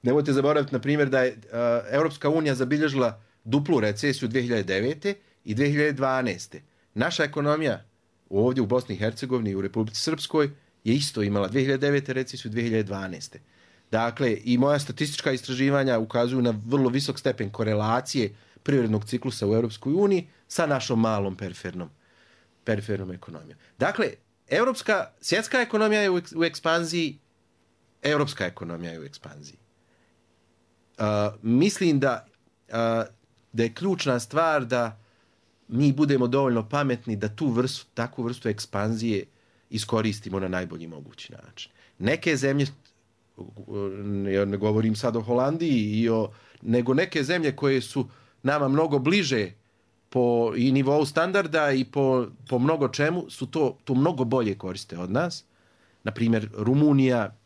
S12: Nemojte zaboraviti, na primjer, da je a, Evropska unija zabilježila duplu recesiju dvije hiljade devete i dvije hiljade dvanaeste. Naša ekonomija ovdje u Bosni i Hercegovini i u Republici Srpskoj je isto imala dvije hiljade devete recesiju, dvije hiljade dvanaeste. Dakle, i moja statistička istraživanja ukazuju na vrlo visok stepen korelacije privrednog ciklusa u Europskoj uniji sa našom malom perifernom, perifernom ekonomijom. Dakle, evropska, svjetska ekonomija je u, u ekspanziji, europska ekonomija je u ekspanziji. Uh, mislim da, uh, da je ključna stvar da mi budemo dovoljno pametni da tu vrstu, takvu vrstu ekspanzije iskoristimo na najbolji mogući način. Neke zemlje, ja ne govorim sad o Holandiji i o nego neke zemlje koje su nama mnogo bliže po i nivou standarda i po, po mnogo čemu su to, to mnogo bolje koriste od nas. Naprimjer, Rumunija,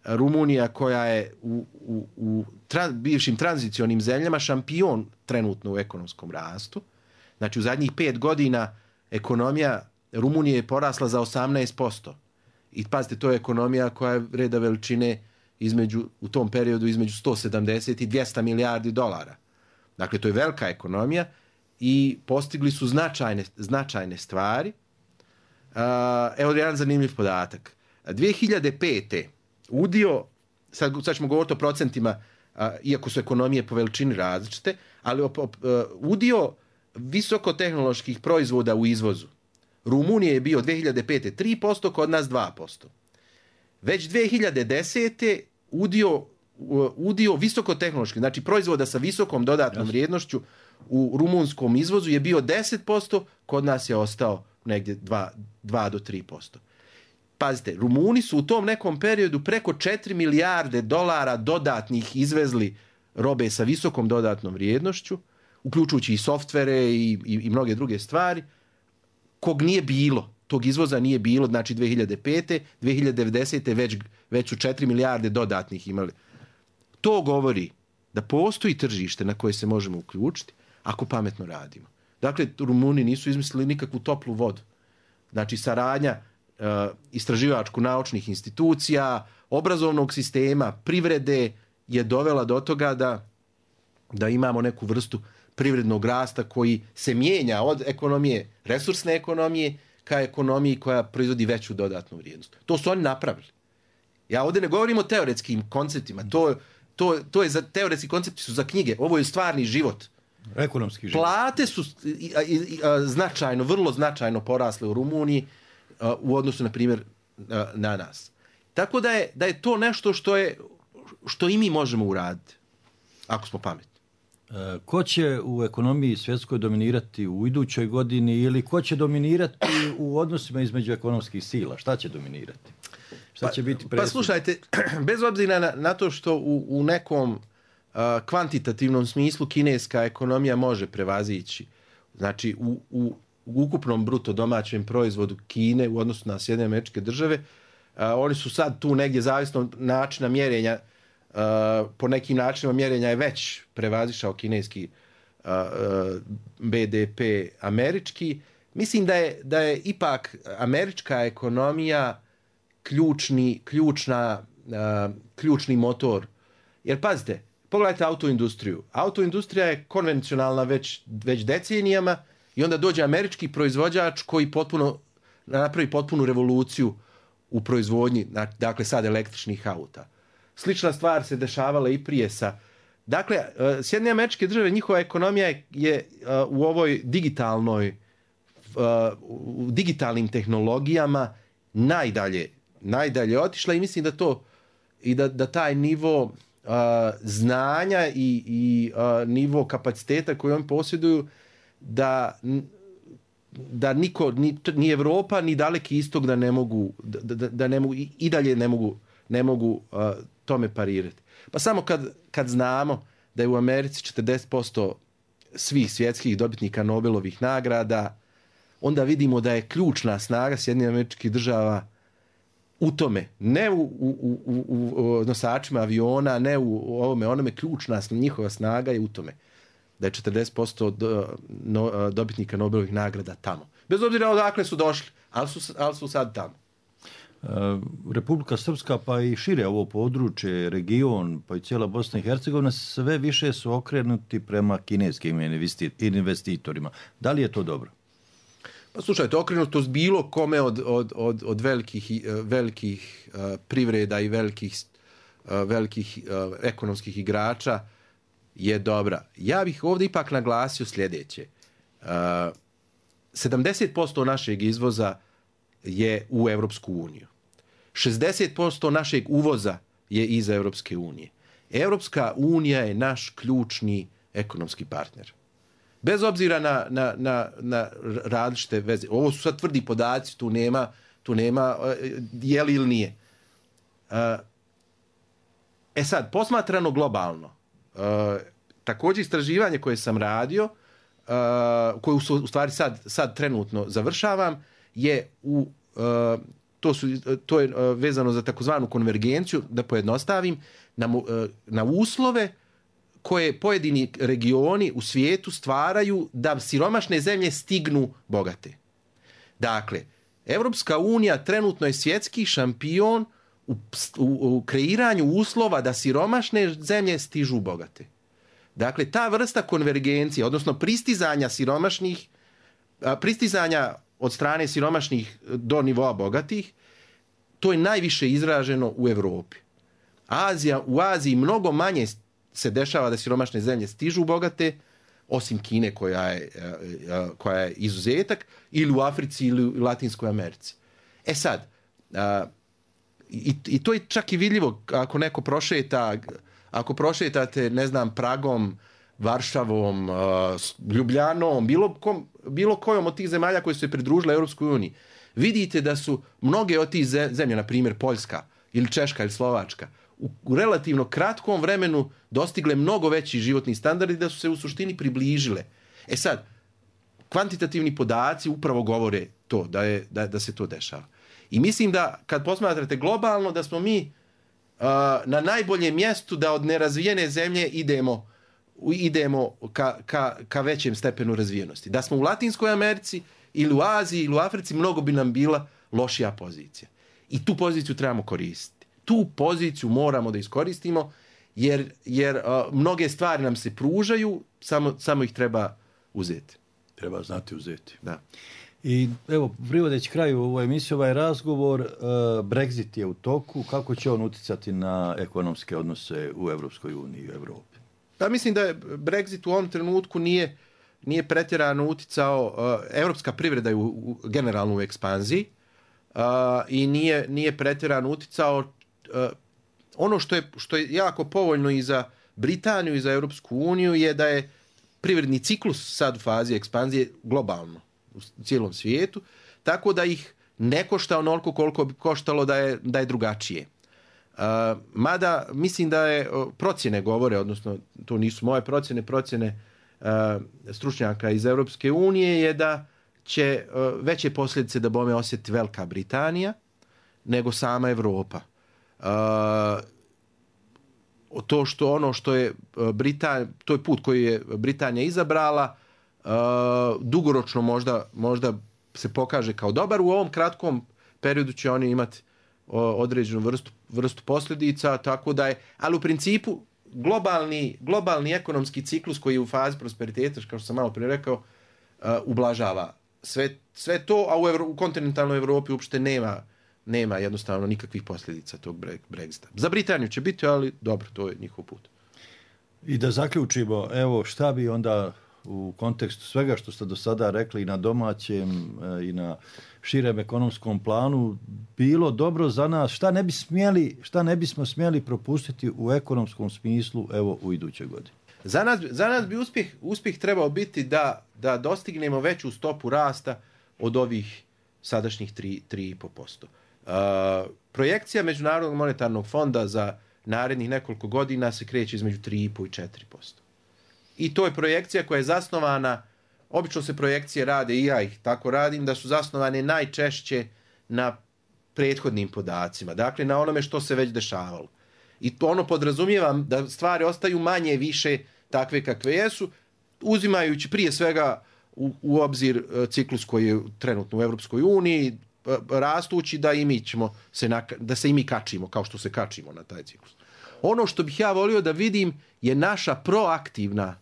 S12: Rumunija koja je u, u, u tra, bivšim tranzicionim zemljama šampion trenutno u ekonomskom rastu. Znači u zadnjih pet godina ekonomija Rumunije je porasla za osamnaest posto. I pazite, to je ekonomija koja je reda veličine između, u tom periodu između sto sedamdeset i dvjesto milijardi dolara. Dakle, to je velika ekonomija i postigli su značajne, značajne stvari. Uh, evo jedan zanimljiv podatak. dvije hiljade pete udio, sad, sad ćemo govoriti o procentima, uh, iako su ekonomije po veličini različite, ali op, op, uh, udio visokotehnoloških proizvoda u izvozu Rumunije je bio dvije hiljade pete tri posto, kod nas dva posto. Već dvije hiljade desete udio, udio visokotehnoloških, znači proizvoda sa visokom dodatnom vrijednošću u rumunskom izvozu je bio deset posto, kod nas je ostao negdje dva do tri posto. Pazite, Rumuni su u tom nekom periodu preko četiri milijarde dolara dodatnih izvezli robe sa visokom dodatnom vrijednošću, uključujući i softvere i, i, i mnoge druge stvari, kog nije bilo, tog izvoza nije bilo, znači dvije hiljade pete, dvije hiljade desete već, već su četiri milijarde dodatnih imali. To govori da postoji tržište na koje se možemo uključiti ako pametno radimo. Dakle, Rumuni nisu izmislili nikakvu toplu vodu. Znači, saradnja uh, istraživačko-naučnih institucija, obrazovnog sistema, privrede je dovela do toga da, da imamo neku vrstu privrednog rasta koji se mijenja od ekonomije, resursne ekonomije, ka ekonomiji koja proizvodi veću dodatnu vrijednost. To su oni napravili. Ja ovdje ne govorim o teoretskim konceptima. To, to, to je za, teoretski koncepti su za knjige. Ovo je stvarni život.
S11: Ekonomski život.
S12: Plate su i, i, i, značajno, vrlo značajno porasle u Rumuniji a, u odnosu, na primjer, a, na nas. Tako da je, da je to nešto što, je, što i mi možemo uraditi, ako smo pametni.
S11: Ko će u ekonomiji svjetskoj dominirati u idućoj godini ili ko će dominirati u odnosima između ekonomskih sila? Šta će dominirati? Šta će biti presudno?
S12: Pa slušajte, bez obzira na, na to što u, u nekom uh, kvantitativnom smislu kineska ekonomija može prevazići, znači u, u, u ukupnom bruto domaćem proizvodu Kine u odnosu na Sjedinjene Američke Države, uh, oni su sad tu negdje zavisno od načina mjerenja. Uh, po nekim načinima mjerenja je već prevazišao kineski uh, uh, be de pe američki. Mislim da je, da je ipak američka ekonomija ključni, ključna, uh, ključni motor. Jer pazite, pogledajte autoindustriju. Autoindustrija je konvencionalna već, već decenijama i onda dođe američki proizvođač koji potpuno, napravi potpunu revoluciju u proizvodnji, dakle sad električnih auta. Slična stvar se dešavala i prije sa... Dakle, Sjedinjene Američke Države, njihova ekonomija je, je u ovoj digitalnoj, u digitalnim tehnologijama najdalje, najdalje otišla i mislim da to, i da, da taj nivo uh, znanja i, i uh, nivo kapaciteta koji oni posjeduju, da, da niko, ni, ni Evropa, ni Daleki istok da ne mogu, da, da, da ne mogu i, i dalje ne mogu, ne mogu uh, tome parirati. Pa samo kad, kad znamo da je u Americi četrdeset posto svih svjetskih dobitnika Nobelovih nagrada, onda vidimo da je ključna snaga Sjedinjenih Američkih Država u tome, ne u, u, u, u nosačima aviona, ne u, u ovome, onome, ključna njihova snaga je u tome da je četrdeset posto do, no, dobitnika Nobelovih nagrada tamo. Bez obzira odakle su došli, ali su, ali su sad tamo.
S11: Republika Srpska, pa i šire ovo područje, region, pa i cijela Bosna i Hercegovina, sve više su okrenuti prema kineskim investitorima. Da li je to dobro?
S12: Pa slušajte, okrenutost bilo kome od, od, od, od velikih, velikih uh, privreda i velikih, uh, velikih uh, ekonomskih igrača je dobra. Ja bih ovdje ipak naglasio sljedeće. Uh, sedamdeset posto našeg izvoza je u Europsku uniju. šezdeset posto našeg uvoza je iz Europske unije. Europska unija je naš ključni ekonomski partner. Bez obzira na, na, na, na različite veze. Ovo su sad tvrdi podaci, tu nema, tu nema je li ili nije. E sad, posmatrano globalno, također istraživanje koje sam radio, uh, koje u, u stvari sad, sad trenutno završavam, je u, uh, to, su, to je uh, vezano za takozvanu konvergenciju, da pojednostavim, na, uh, na uslove koje pojedini regioni u svijetu stvaraju da siromašne zemlje stignu bogate. Dakle, Evropska unija trenutno je svjetski šampion u, u, u kreiranju uslova da siromašne zemlje stižu bogate. Dakle, ta vrsta konvergencije, odnosno pristizanja siromašnih, pristizanja od strane siromašnih do nivoa bogatih, to je najviše izraženo u Europi. Azija, u Aziji mnogo manje se dešava da siromašne zemlje stižu bogate, osim Kine koja je, koja je izuzetak, ili u Africi ili u Latinskoj Americi. E sad, i, i to je čak i vidljivo ako neko prošeta, ako prošetate, ne znam, Pragom, Varšavom, Ljubljanom, bilo, kom, bilo kojom od tih zemalja koje su se pridružile Europskoj uniji, vidite da su mnoge od tih zemlje, na primjer Poljska ili Češka ili Slovačka, u relativno kratkom vremenu dostigle mnogo veći životni standardi, da su se u suštini približile. E sad, kvantitativni podaci upravo govore to, da, je, da, da se to dešava. I mislim da kad posmatrate globalno, da smo mi uh, na najboljem mjestu da od nerazvijene zemlje idemo, idemo ka, ka, ka većem stepenu razvijenosti. Da smo u Latinskoj Americi ili u Aziji ili u Africi, mnogo bi nam bila lošija pozicija. I tu poziciju trebamo koristiti. Tu poziciju moramo da iskoristimo, jer, jer uh, mnoge stvari nam se pružaju, samo, samo ih treba uzeti.
S11: Treba znati uzeti.
S12: Da.
S11: I evo, privodeći kraju ovoj emisiji, ovaj razgovor, uh, Brexit je u toku. Kako će on uticati na ekonomske odnose u Evropskoj uniji i u Europi?
S12: Pa mislim da je Brexit u ovom trenutku nije, nije pretjerano uticao. Uh, evropska privreda je u, u, generalno u ekspanziji uh, i nije, nije pretjerano uticao. Uh, ono što je, što je jako povoljno i za Britaniju i za Europsku uniju je da je privredni ciklus sad u fazi ekspanzije globalno u cijelom svijetu, tako da ih ne košta onoliko koliko bi koštalo da je, da je drugačije. Uh, mada mislim da je procjene govore, odnosno to nisu moje procjene, procjene uh, stručnjaka iz Europske unije je da će uh, veće posljedice da bome osjeti Velika Britanija nego sama Europa. Uh, to što ono što je Britanija, to je put koji je Britanija izabrala, uh, dugoročno možda, možda se pokaže kao dobar. U ovom kratkom periodu će oni imati uh, određenu vrstu, vrstu posljedica, tako da je, ali u principu globalni, globalni ekonomski ciklus koji je u fazi prosperiteta, kao što sam malo prije rekao, uh, ublažava sve, sve to, a u, Evro, u kontinentalnoj Europi uopšte nema nema jednostavno nikakvih posljedica tog Brexita. Za Britaniju će biti, ali dobro, to je njihov put.
S11: I da zaključimo, evo, šta bi onda u kontekstu svega što ste do sada rekli i na domaćem i na širem ekonomskom planu bilo dobro za nas, šta ne bi smjeli, šta ne bismo smjeli propustiti u ekonomskom smislu, evo, u idućoj godini?
S12: Za nas, za nas bi uspjeh, uspjeh trebao biti da, da dostignemo veću stopu rasta od ovih sadašnjih tri i pol posto. Uh, projekcija Međunarodnog monetarnog fonda za narednih nekoliko godina se kreće između tri i pol i četiri posto. I to je projekcija koja je zasnovana, obično se projekcije rade i ja ih tako radim, da su zasnovane najčešće na prethodnim podacima, dakle na onome što se već dešavalo. I to ono podrazumijevam da stvari ostaju manje više takve kakve jesu, uzimajući prije svega u, u obzir ciklus koji je trenutno u Europskoj uniji, rastući da i mi ćemo se na, da se i mi kačimo kao što se kačimo na taj ciklus. Ono što bih ja volio da vidim je naša proaktivna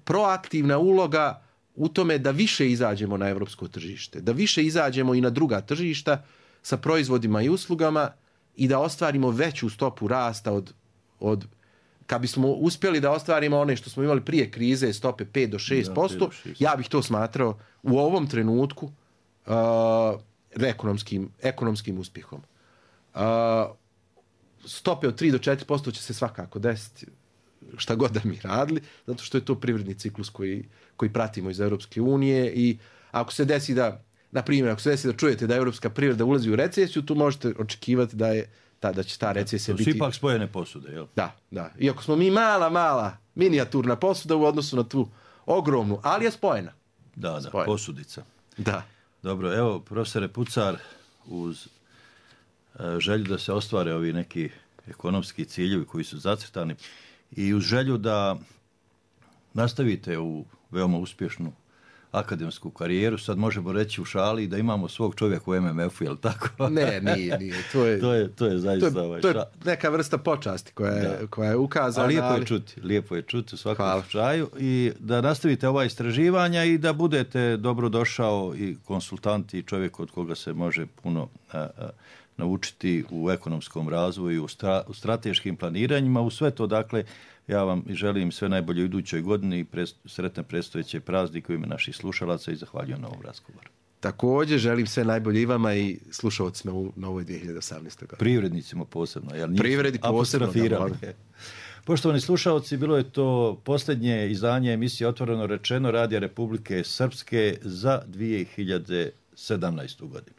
S12: proaktivna uloga u tome da više izađemo na europsko tržište, da više izađemo i na druga tržišta sa proizvodima i uslugama i da ostvarimo veću stopu rasta od, od kad bismo uspjeli da ostvarimo one što smo imali prije krize, stope pet do šest posto, ja bih to smatrao u ovom trenutku uh, ekonomskim, ekonomskim uspjehom. Uh, stope od tri do četiri posto će se svakako desiti šta god da mi radili, zato što je to privredni ciklus koji, koji pratimo iz Europske unije i ako se desi da, na primjer, ako se desi da čujete da europska privreda ulazi u recesiju, tu možete očekivati da je ta, da će ta recesija biti...
S11: To su ipak spojene posude, jel?
S12: Da, da. Iako smo mi mala, mala minijaturna posuda u odnosu na tu ogromnu, ali je spojena.
S11: Da, da,
S12: Spojena.
S11: posudica.
S12: Da.
S11: Dobro, evo, profesore Pucar, uz e, želju da se ostvare ovi neki ekonomski ciljevi koji su zacrtani i uz želju da nastavite u veoma uspješnu akademsku karijeru, sad možemo reći u šali da imamo svog čovjeka u M M F-u, je li tako?
S12: Ne, nije, nije. To je,
S11: to je, to je zaista
S12: to je,
S11: ovaj
S12: to je
S11: ša...
S12: neka vrsta počasti koja je, koja je ukazana.
S11: A lijepo
S12: ali...
S11: je čuti, lijepo je čuti u svakom
S12: Hvala.
S11: slučaju i da nastavite ova istraživanja i da budete dobro došao i konsultant i čovjek od koga se može puno a, a, naučiti u ekonomskom razvoju, u, stra, u strateškim planiranjima, u sve to, dakle, ja vam želim sve najbolje u idućoj godini i prest, sretne predstojeće praznike u ime naših slušalaca i zahvaljujem na ovom razgovoru.
S12: Također želim sve najbolje i vama i slušalcima u novoj dvije hiljade osamnaestoj godini.
S11: Privrednicima posebno. Jel
S12: Privredi posebno. Da,
S11: Poštovani slušalci, bilo je to posljednje izdanje emisije Otvoreno rečeno Radija Republike Srpske za dvije hiljade sedamnaestu godinu.